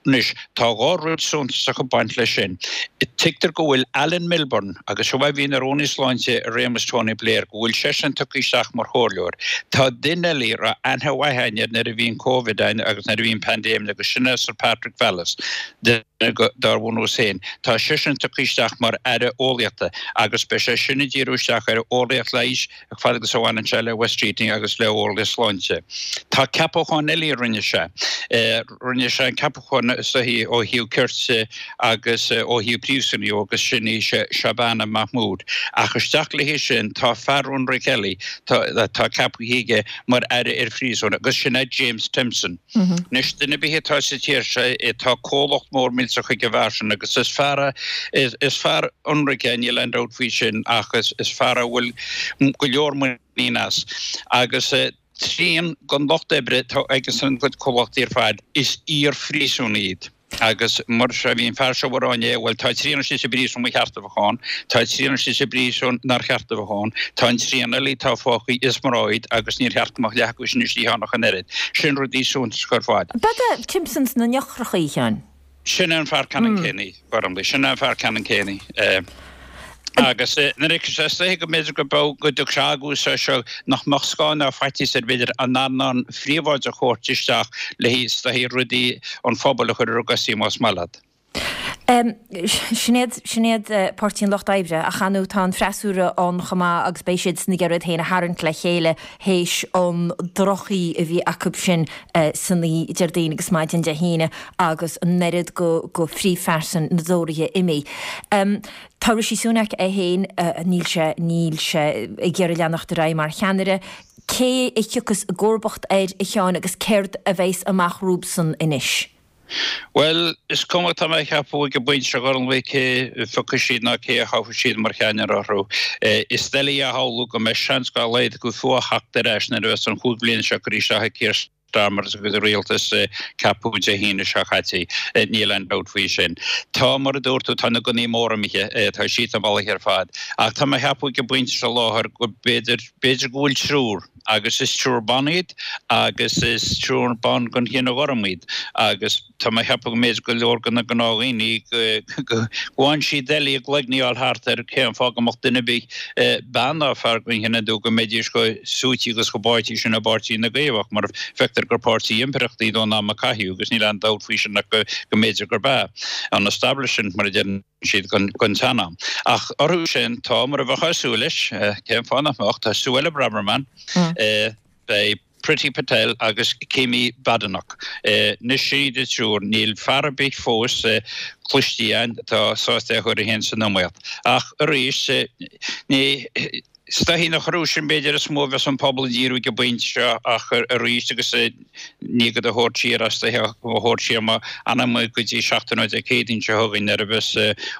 Anois, tá dhá rud suntasach ag baint leis sin. Tuigtear go bhfuil Alan Milburn, agus seo a bhí ina Rúnaí Sláinte i réimeas Tony Blair, go bhfuil seisean tugtha isteach mar chomhairleoir. Tá duine eile a raibh aithne mhaith againn air nuair a bhí an Covid ann agus nuair a bhí an paindéim agus sin é Sir Patrick Vallance, duine dár bhunús féin. Tá seisean tugtha isteach mar Aire Eolaíochta agus beidh sé sin ag díriú isteach ar eolaíocht leighis fad agus a bhaineann sé le Wes Streeting agus le eolaíocht sláinte. Tá ceapachán eile a rinne sé. Rinne sé an ceapachán is dóichí ó thaobh cirt agus ó thaobh príosúnaigh agus sin í Shabana Mahmood. Ach isteach léi sin tá fear ionraic eile atá ceaptha aige mar Aire ar Phríosúin agus sin é James Timpson. Anois duine ar bith atá sa tír seo tá comhlacht mór millteach ag an bhfear sin agus is fear is fear ionraic é níl aon dabht faoi sin ach is fear a bhfuil go leor muinín as agus trian den lucht oibre atá ag an gcuid comhlachtaí ar fad is iar-phríosúnaigh iad. Agus mar seo bhí an fear seo ag rá inné, bhuel tá trian istigh sa bpríosún ba cheart a bheith ann, tá trian istigh sa bpríosún nár cheart a bheith ann, tá an trian eile atá fágtha is mná iad agus níor cheart go mbeadh leath acu sin istigh ann ach an oiread. Sin rudaí suntasacha ar fad. Ab é Timpson sna n-eochracha, a Sheáin? Sin é an fear ceannann céanna, Gormlaith, sin é an fear ceannann céanna. Agus nuair a sé is dóiche go mb'fhéidir go mbeadh go dtiocfadh sé agus é seo nach mbeadh scáth ná faitíos air b'fhéidir an earnáil phríobháideach a thabhairt isteach le is dóichí rudaí an phobail a chur ar a gcosaí más maith leat. Sin iad, sin iad Páirtí an Lucht Oibre, ach ar ndóigh tá an freasúra ann chomh maith agus beidh siadsan ag iarraidh iad féin a tharraingt le chéile théis an drochoíche a bhí acu sin san oíche Déardaoin agus maidin Dé hAoine agus an oiread go go phríomhphearsan na dTóraithe imithe. Tá Rishi Sunak é féin, níl sé, níl sé ag iarraidh leanacht ar aghaidh mar cheannaire. Cé a thiocfas i gcomharbacht air, a Sheáin, agus céard a bheas amach romhabsan anois? Bhuel, is cuma, tá mé a cheapadh ag an bpointe seo, a Ghormlaith, cé a phiocfaidh siad ná cé a thoghfaidh siad mar cheannaire orthu. Is doiligh a shamhlú go mbeidh seans dá laghad acu fiú a theacht ar ais nuair a bheas an chúig bliana seo curtha isteach ag Keir Starmer agus a rialtas ceaptha Dé hAoine seo caite. Níl aon dabht faoi sin. Tá, mar a dúirt tú, tá na gunnaí móra imithe, tá siad sa mbealach ar fad. Ach tá mé a cheapadh ag an bpointe seo láthair go b'fhéidir, b'fhéidir go bhfuil triúr, agus is triúr ban iad agus is triúr ban den chine ghorm iad agus tá mé a cheapadh go mb'fhéidir go leor de na gnáthdhaoine go bhfaigheann siad doiligh a gcloigne a fháil thart ar cén fáth go mbeadh duine ar bith, bean ná fear den chine dubh, go mbeidís chomh suaite agus chomh báite sin i bPáirtí na gCaomhach mar feictear gur páirtí impireachta iad ón am a caitheadh agus níl aon dabht faoi sin ach go mb'fhéidir gurb ea an establishment mar a deireann siad den tsean-am. Ach orthu sin tá, mar a bheifeá ag súil leis, cén fáth nach mbeadh, tá Suella Braverman, beidh Priti Patel agus Kemi Badenoch. Anois sin iad an triúr. Níl fear ar bith fós cloiste againn atá sásta é a chur é féin san iomaíocht. Ach arís, ní. Is dóichí nach orthu sin b'fhéidir is mó a bheas an pobal ag díriú ag an bpointe seo ach arís agus ní do thabhairt siar as do thabhairt siar má fhanann muid go dtí seachtain ó Dé Céadaoin seo chugainn nuair a bheas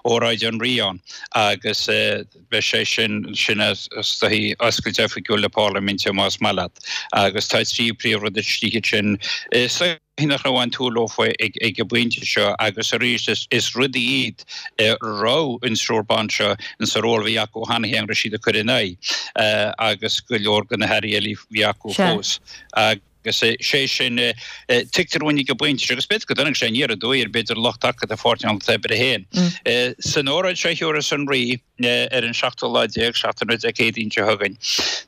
óráid an Rí ann agus beidh sé sin sin is dóichí oscailt oifigiúil na Parlaiminte más maith leat agus tá trí príomhrud istigh ansin. Is nach raibh aon tsúil leofa ag an bpointe seo agus arís is rudaí iad a raibh an triúr ban seo insa ról a bhí acu cheana féin raibh siad ag cur in aghaidh agus go leor de na hairí eile a bhí acu fós agus sé sin tuigtear dúinn ag an bpointe seo agus b'fhéidir go dtáinig sé aniar aduaidh ar b'fhéidir lucht taca de Pháirtí an Lucht Oibre féin. San óráid seo a thiúrfas an Rí ar an seachtú lá déag, seachtain ó Dé Céadaoin seo chugainn.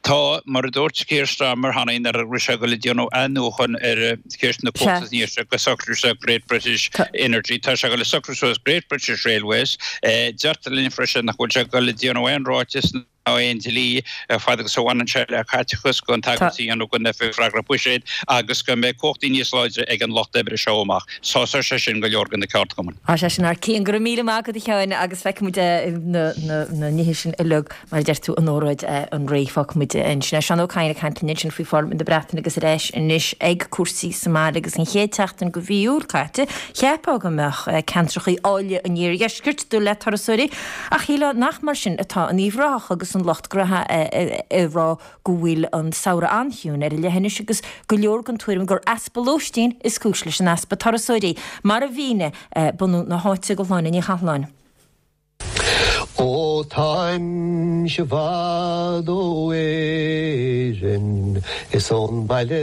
Tá, mar a dúirt Keir Starmer cheana nuair a raibh sé ag dul ag déanamh athnuachan ar cheist na cumhachta san iarthar go socródh sé Great British Energy, tá sé ag dul ag socrú suas Great British Railways. Deirtear linn freisin nach bhfuil sé ag dul ag déanamh aon ráiteas, aon dlí fad agus a bhaineann sé le caiteachas gan tagairt a dhéanamh don Oifig Freagrach Buiséid agus go mbeidh cumhachtaí níos láidre ag an lucht oibre seo amach. Sásóidh sé sin go leor de na ceardchumainn. Tá sé sin thar cionn. Go raibh míle maith agat a Sheáin agus feicfidh muid na nithe sin uilig mar a deir tú in óráid an Rí. Fágfaidh muid ansin é. Seán Ó Cadhain ag caint linn ansin faoi Pharlaimint na Breataine agus ar ais anois ag cúrsaí sa mbaile agus an chéad tseachtain de mhí Iúil caite cheapfá go mbeadh ceantracha áille an iardheiscirt dubh le turasóirí ach shílfeá nach mar sin atá in Uíbh Ráthach agus an lucht gnaithe ag rá go bhfuil an samhradh an-chiúin ar an leithinis agus go leor den tuairim gur easpa lóistín is cúis leis an easpa turasóirí, mar a mhínigh bunadh na háite do Shláine Ní Chathalláin. Ó táimse i bhfad ó Éirinn is ón mbaile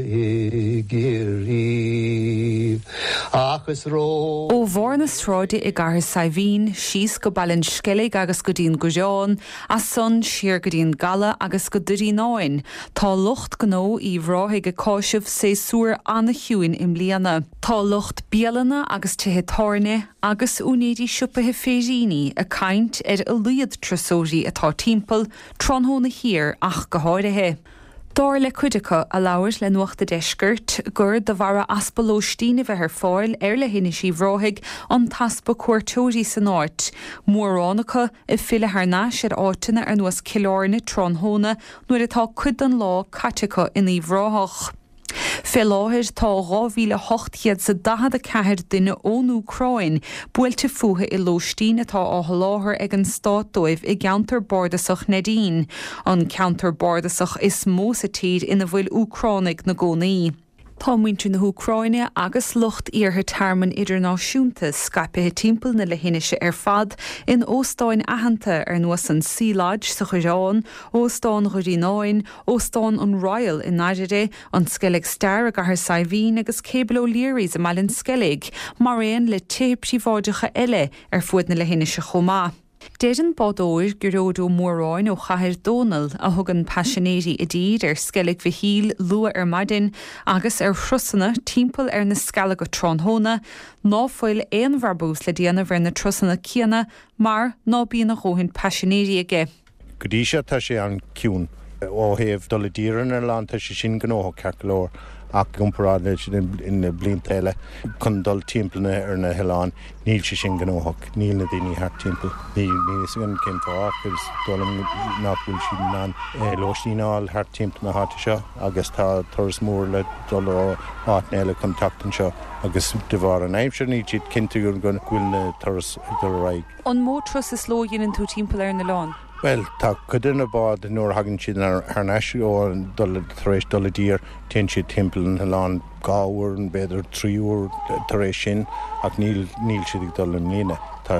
i gCiarraí ach is ró. Ó bharr na sráide i gCathair Saidhbhín, síos go Baile an Sceilg agus go dtí an Gaireán, as san siar go dtí an gCaladh agus go Doirín Áin, tá lucht gnó Uíbh Ráthaigh ag cáiseamh séasúr an-chiúin i mbliana. Tá lucht bialanna agus tithe tábhairne agus úinéirí siopaithe féiríní ag caint ar a laghad turasóirí atá timpeall, tráthnóna thiar ach go háirithe. Dar le cuid acu a labhair le Nuacht a' Deiscirt gur de bharra easpa lóistín a bheith ar fáil ar leithinis Uíbh Ráthaigh an t-easpa cuairteoirí san áit, mórán acu ag filleadh thar n-ais ar áiteanna ar nós Cill Airne tráthnóna nuair atá cuid den lá caite acu in Uíbh Ráthach. Fé láthair tá dhá mhíle ocht gcéad 's a daichead a ceathair duine ón Úcráin buailte fúthu i lóistín atá á sholáthar ag an stát dóibh i gceantar bardasach Neidín, an ceantar bardasach is mó sa tír ina bhfuil Úcránaigh 'na gcónaí. Tá muintir na hÚcráine agus lucht iarrtha tearmainn idirnáisiúnta scaipthe timpeall na leithinise ar fad in óstáin aitheanta ar nós an Sea Lodge sa Choireán, Óstán Dhoirín Áin, Óstán an Royal i nDairire, an Skellig Star i gCathair Saidhbhín agus Cable O'Leary's i mBaile an Sceilg, mar aon le tithe príobháideacha eile ar fuaid na leithinise chomh maith. Deir an bádóir Gearóid Ó Móráin ó Chathair Dónall, a thugann paisinéirí i dtír ar Sceilg Mhichíl luath ar maidin agus ar thurasanna timpeall ar na Scealaga tráthnóna, ná fuil aon bhrabús le déanamh ar na turasanna céanna mar ná bíonn a dhóthain paisinéirí aige. Go dtí seo tá sé an-chiúin. Ó thaobh dul i dtír ar an oileán tá sé sin gnóthach ceart go leor ach i gcomparáid leis na blianta eile chun dul timpeall ar na hoileáin níl sé sin gnóthach, níl na daoine thart timpeall. Níl fhios agam cén fáth ach is dóigh liom nach bhfuil siad in ann lóistín a fháil thart timpeall na háite seo agus tá turas mór le dul ó áiteanna eile chun teacht anseo agus de bharr an aimsir níl siad cinnte go bhfuil na turais ag dul ar aghaidh. An mó turas sa ló a dhéanann tú timpeall ar an oileán? Bhuel, tá cuid de na báid nuair a thagann siad thar n-ais ó dul tar éis dul i dtír, téann siad timpeall an oileáin dhá uair, b'fhéidir trí uair tar éis sin ach níl níl siad ag dul i mbliana. Tá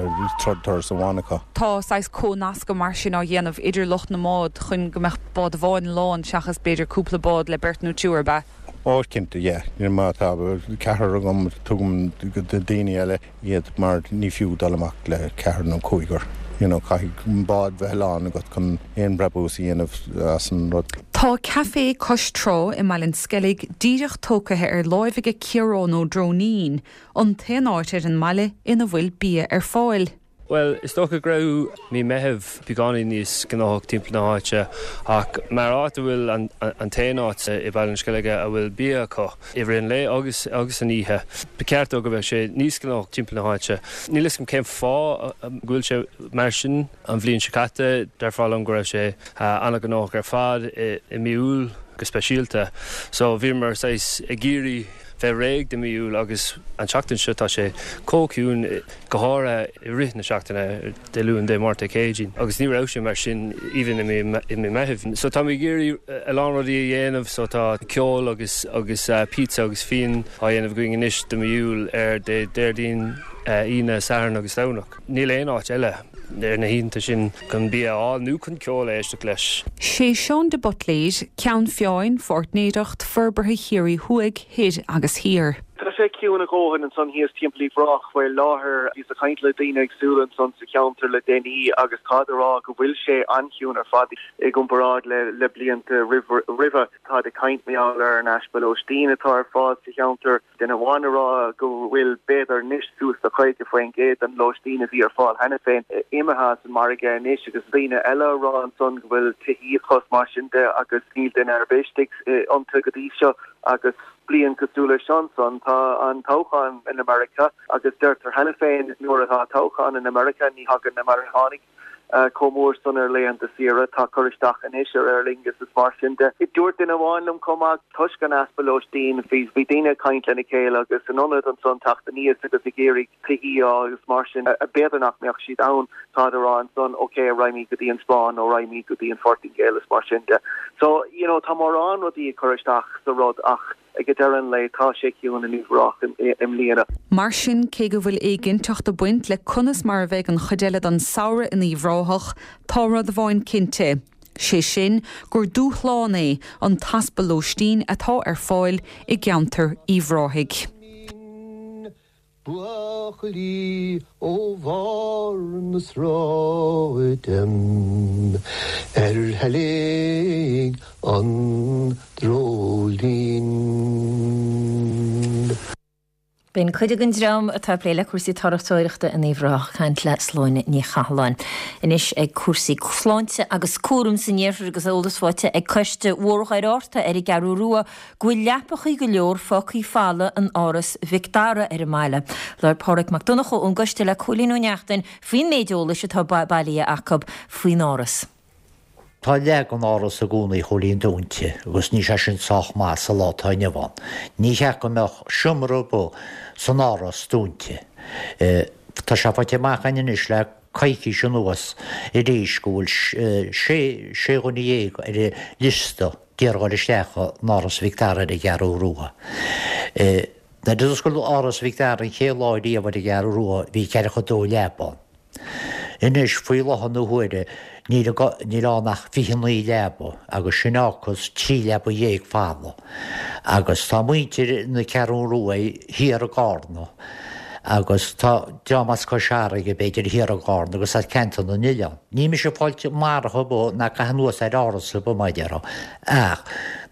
turas amháin acu. Tá saghas comhnascadh mar sin á dhéanamh idir lucht na mbád chun go mbeadh bád amháin lán seachas b'fhéidir cúpla bád le beirt nó triúr, ab ea? Ó, cinnte, yeah. Má tá ceathrar agam, tugaim do daoine eile iad mar ní fiú dul amach le ceathrar nó cúigear. You know, caithfidh bád bheith lán agat chun aon brabús a dhéanamh as an rud. Tá caifé cois trá i mBaile an Sceilg díreach tógtha ar láimh aige Ciarán Ó Dróinín, an t-aon áit ar an mbaile ina bhfuil bia ar fáil. Bhuel, is dócha go raibh mí Meitheamh beagáinín níos gnóthach timpeall na háite ach mar áit a bhfuil an t-aon áit i Baile an Sceilg a bhfuil bia acu i rith an lae agus agus an oíche, ba cheart dó go mbeadh sé níos gnóthach timpeall na háite. Níl fhios agam cén fáth go bhfuil sé mar sin. An bhliain seo caite, déarfá liom go raibh sé an-ghnóthach ar fad i mí Iúil go speisialta. So bhíomar saghas ag iarraidh bheith réidh do mí Iúil agus an tseachtain seo tá sé chomh ciúin, go háirithe i rith na seachtaine, Dé Luain, Dé Máirt, Dé Céadaoin, agus ní raibh sé mar sin even i mí Meithimh. So táimid ag iarraidh a lán rudaí a dhéanamh, so tá ceol agus agus pizza agus fíon á dhéanamh againn anois do mí Iúil ar Dé Déardaoin, Aoine, Satharn agus Domhnach. Níl aon áit eile ar na hoícheanta sin chun bia a fháil nó chun ceol a éisteacht leis. Sé Seán de Buitléir, Ceann Feadhain, Pháirtnéireacht Forbartha Chiarraí Thuaidh, Thoir agus Thiar. Tá sé sé ciúin a dhóthain ansan thíos timpeall Uíbh Ráthach faoi láthair. Bhíos ag caint le daoine éagsúla ansan sa cheantar le déanaí agus táid a rá go bhfuil sé an-chiúin ar fad i gcomparáid le le blianta roimhe. Táid ag caint mar gheall ar an easpa lóistín atá ar fáil sa cheantar. Duine amháin a rá go bhfuil b'fhéidir anois suas le caoga faoin gcéad den lóistín a bhí ar fáil cheana féin imithe as an margadh anois agus daoine eile a rá ansan go bhfuil tithíocht is mar sin de agus níl duine ar bith istigh iontu go dtí seo agus bliain cosúil leis seo ansan tá an toghchán in America agus deirtear cheana féin nuair atá toghchán in America ní thagann na Meiriceánaigh chomh mór san ar laethanta saoire, tá cur isteach anois ar Aer Lingus is mar sin de. Dúirt duine amháin liom chomh maith, toisc an easpa lóistín, bhí bhí daoine ag caint lena chéile agus in ionad ansan teacht aníos agus ag iarraidh tithí a fháil agus mar sin, b'fhéidir nach mbeadh siad ann, táid a rá ansan ok raghaimid go dtí an Spáinn nó raghaimid go dtí an Phortaingéil is mar sin de. So, you know, tá mórán rudaí ag cur isteach sa rud ach ag deireadh an lae tá sé ciúin in Uíbh Ráthach i mbliana. Mar sin, cé go bhfuil éiginnteacht ag baint le conas mar a bheidh an chuid eile den samhradh in Uíbh Ráthach, tá rud amháin cinnte, sé sin gur dúshlán é an t-easpa lóistín atá ar fáil i gceantar Uíbh Ráthaigh. Buachaillí ó bharr na sráide ar theilg an dreoilín. B'in cuid den dream atá ag plé le cúrsaí turasóireachta in Uíbh Ráthach ag caint le Sláine Ní Chathalláin. Anois ag cúrsaí sláinte agus cúram san iarthar agus eolas faighte ag Coiste Bhóthar Dhoire Fhatharta ar an gCeathrú Rua go bhfuil leapachaí go leor fágtha folamh in Áras Mhic Dara ar an mbaile. Labhair Pádraig Mac Donncha ón gcoiste le Cóilín Ó Neachtain faoin méid eolais atá bailithe acu faoin áras. Tá leath den áras i gcónaí a Chóilín dúnta agus níl sé sin sách maith sa lá atá inniu ann. Ní cheart go mbeadh seomra ar bith san áras dúnta. Tá sé faighte amach againn anois le coicís anuas arís go bhfuil sé sé dhuine dhéag ar an liosta d'iarraidh dhul isteach in Áras Mhic Dara ar an gCeathrú Rua. Nuair a d'oscail Áras Mhic Dara an chéad lá riamh ar an gCeathrú Rua bhí ceathracha dó leaba ann. Anois, faoi láthair na huaire, níl níl ann ach fiche naoi leaba, agus sin fhágfas trí leaba dhéag folamh. Agus tá muintir na Ceathrún Rua thiar i gCarna, agus tá dream as Cois Fharraige, b'fhéidir, thiar i gCarna agus as Ceantar na nOileán. Níl mise ag fáilt mairg ar bith ná caitheamh anuas ar áras ar bith, mar a déarfá, ach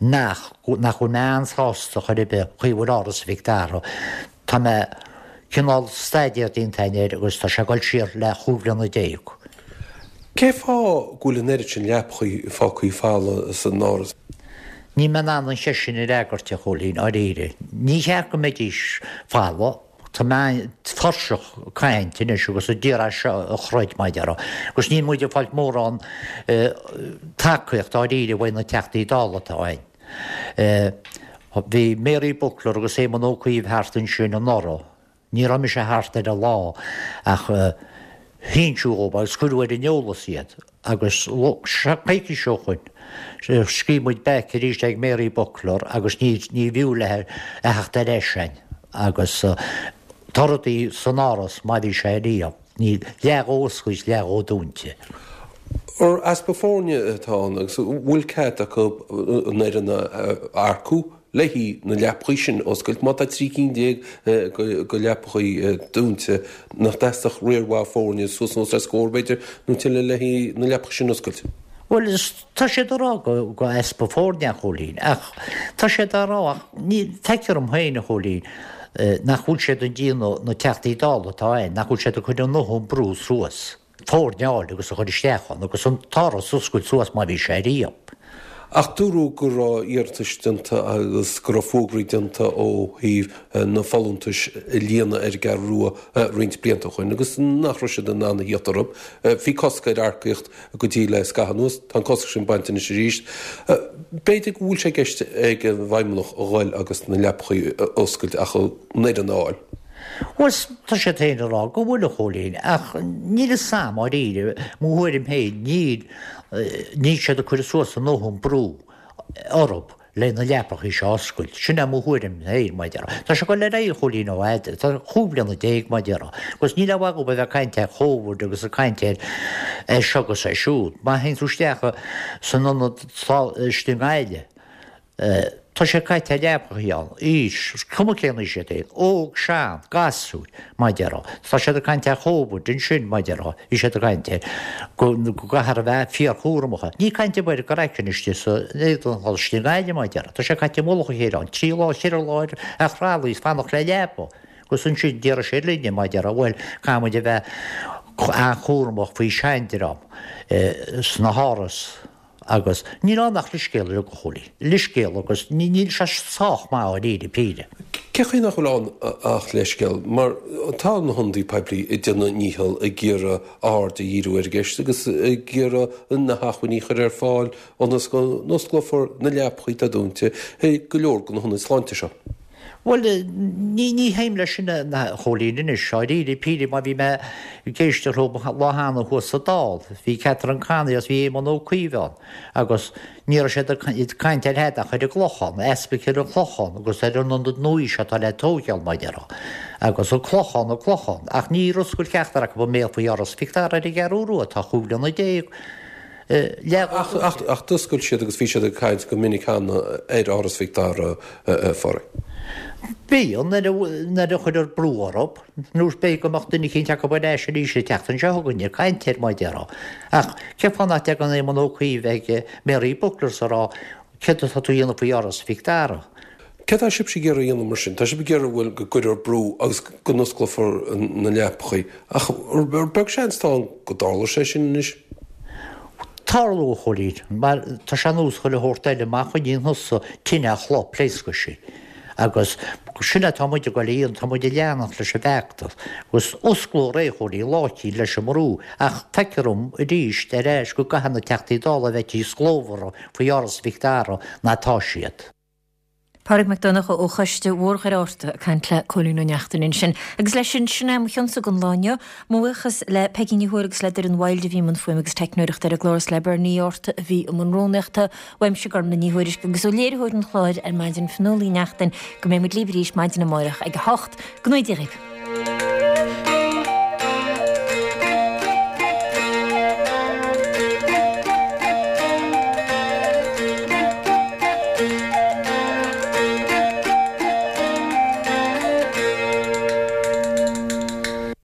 nach nach bhfuil mé an-sásta chor ar bith chaoi a bhfuil Áras Mhic Dara. Tá mé cineál staidéar déanta againn air agus tá sé ag dul siar le chúig bhliana déag. Cé fáth go bhfuil an oiread sin leapachaí fágtha folamh san áras? Níl mé in ann an cheist sin a fhreagairt, a Chóilín, dáiríre. Ní cheart go mbeidís folamh. Tá mé tuirseach caint anois agus ag iarraidh seo a throid, mar a déarfá. Agus níl muid ag fáilt mórán tacaíocht dáiríre uaidh na Teachtaí Dála atá againn. Bhí Mary Buckler agus Éamon Ó Cuív thart ansin anuraidh. Ní raibh mise thart ar an lá ach hinseadh dhóibh agus cuireadh ar an eolas iad agus coicís ó shoin scríobh muid back arís ag Mary Buckler agus ní ní bhfiú léi a theacht ar ais againn agus tá rudaí san áras mar bhí sé riamh. Níl leath dhó oscailte leath dhó dúnta. Ar easpa foirne atá ann agus an bhfuil cead acu an fhoireann a earcú le haghaidh na leapachaí sin a oscailt? Má tá trí cinn déag de leapachaí dúnta, nach dteastódh riar mhaith foirne suas anuas le scór, b'fhéidir, nó tuilleadh le haghaidh na leapachaí sin a oscailt? Bhuel, tá siad ag rá go easpa foirne, a Chóilín, ach tá siad á rá, ach ní, feictear dom féin, a Chóilín, nach bhfuil siad ag déanamh, na Teachtaí Dála atá ann, nach bhfuil siad ag cur a ndóthain brú suas, foirne a fháil agus a chur isteach ann agus an t-áras a oscailt suas mar bhí sé riamh. Ach dúradh go raibh iarratais déanta agus go raibh fógraí déanta ó thaobh na folúntais a líonadh ar an gCeathrú Rua roinnt blianta ó shoin agus nach raibh siad in ann a thíocht orthu. Bhí cosc ar earcaíocht go dtí le scaitheamh anuas. Tá an cosc sin bainte anois arís. B'fhéidir go bhfuil sé i gceist ag an bhFeidhmeannach a dhul agus na leapachaí a oscailt ach an fhoireann a fháil. Bhuel, tá siad féin ag rá go bhfuil, a Chóilín, ach níl fhios a'm, dháiríre, mo thuairim féin, níl, níl siad ag cur suas a ndóthain brú orthu le na leapachaí seo a oscailt. Sin é mo thuairim féin, mar a déarfá. Tá sé ag dul ar aghaidh, a Chóilín, ó fhad, tá chúig bliana déag, mar a déarfá. Agus níl aon mhaith dhóibh a bheith ag caint ar Chóvid agus ag caint ar é seo agus é siúd. Má théann tú isteach san ionad istigh i nGaillimh, Tá sé caite ar leapachaí ann, aois, cuma cén aois iad féin, óg, sean, gasúir, mar a déarfá. Tá siad ag caint ar Chóvid ansin, mar a déarfá, bhí siad ag caint air, go gcaithfear a bheith fíorchúramach. Ní caint ar bith ar gcraiceann istigh sa éadan istigh i nGaillimh, mar a déarfá. Tá sé caite i mullach a chéile ann, trí lá, cheithre lá ar thralaí is fanacht le leaba. Agus ansin déarfaidh siad linne, mar a déarfá, bhuel, caithfidh muid a bheith an-chúramach faoi seandream sna háras. Agus níl ann ach leithscéal uilig, a Chóilín. Leithscéal agus níl sé sách maith dháiríre píre. Cén chaoi nach bhfuil ann ach leithscéal? Mar tá na hionadaí poiblí ag déanamh a ndícheall ag iarraidh aird a dhíriú ar an gceist agus ag iarraidh na hacmhainní a chur ar fáil ionas go n-osclófar na leapachaí atá dúnta i go leor de na hionaid sláinte seo. Bhuel, ní, ní théim leis sin, a Chóilín, anois, dháiríre píre, mar bhí mé ag éisteacht leo lá cheana thuas sa Dáil, bhí Catherine Connolly agus bhí Éamon Ó Cuív ann, agus ní raibh siad ag caint ar tada ach ar an gClochán, easpa ar an Chlochán agus ar an ionad nua seo atá le tóigeáil, mar a déarfá, agus an Clochán, an Clochán, ach níor oscail ceachtar acu a mbéal faoi Áras Mhic Dara ar an gCeathrú Rua, atá chúig bhliana déag. Ach d'oscail siad agus bhí siad ag caint go minic cheana ar Áras Mhic Dara, a Phádraig. Bíonn, nuair a chuirtear brú orthu, nó b'fhéidir go mbeadh duine eicínt acu ar ais arís an tseachtain seo chugainn ag caint air, mar a déarfá. Ach cén fáth nach dtagann Éamon Ó Cuív ag Mary Butler is a rá céard atá tú a dhéanamh faoi Áras Mhic Dara? Céard tá sibhse ag iarraidh a dhéanamh mar sin? Tá sibh ag iarraidh, bhuel, go gcuirfear brú agus go n-osclófar na leapachaí, ach ar beag seans atá ann go dtarlóidh sé sin anois? Tarlóidh, a Chóilín, mar tá sé ar nós chuile shórt eile, má choinníonn thusa tine ar chloch, pléascfaidh sí. Agus sin atá muid ag goil a dhéanamh, tá muid ag leanacht leis an bhfeachtas. Agus osclófar é, a Chóilín, lá eicínt leis an mbrú. Ach feictear dom arís ar ais go gcaithfidh na Teachtaí Dála a bheith níos glórmhaire faoi Áras Mhic Dara ná atá siad. Pádraig Mac Donncha ó Choiste Mhór Dhoire Fhatharta ag caint le Cóilín Ó Neachtain ansin. Agus leis sin, sin é mo chionsa don lá inniu. Mo bhuíochas le Peigí Ní Thuathail agus le Doireann Wilde a bhí i mbun fuaime agus teicneoireachta ar an gclár is le Bernie Orta a bhí i mbun rúnaíochta. Uaimse Gormlaith Ní Thuairisg agus ó léiritheoir an chláir ar maidin Fionnuala Uí Neachtain go mbeidh muid libh arís maidin amárach ag a hocht. Go ngnóthaí Dia dhaoibh.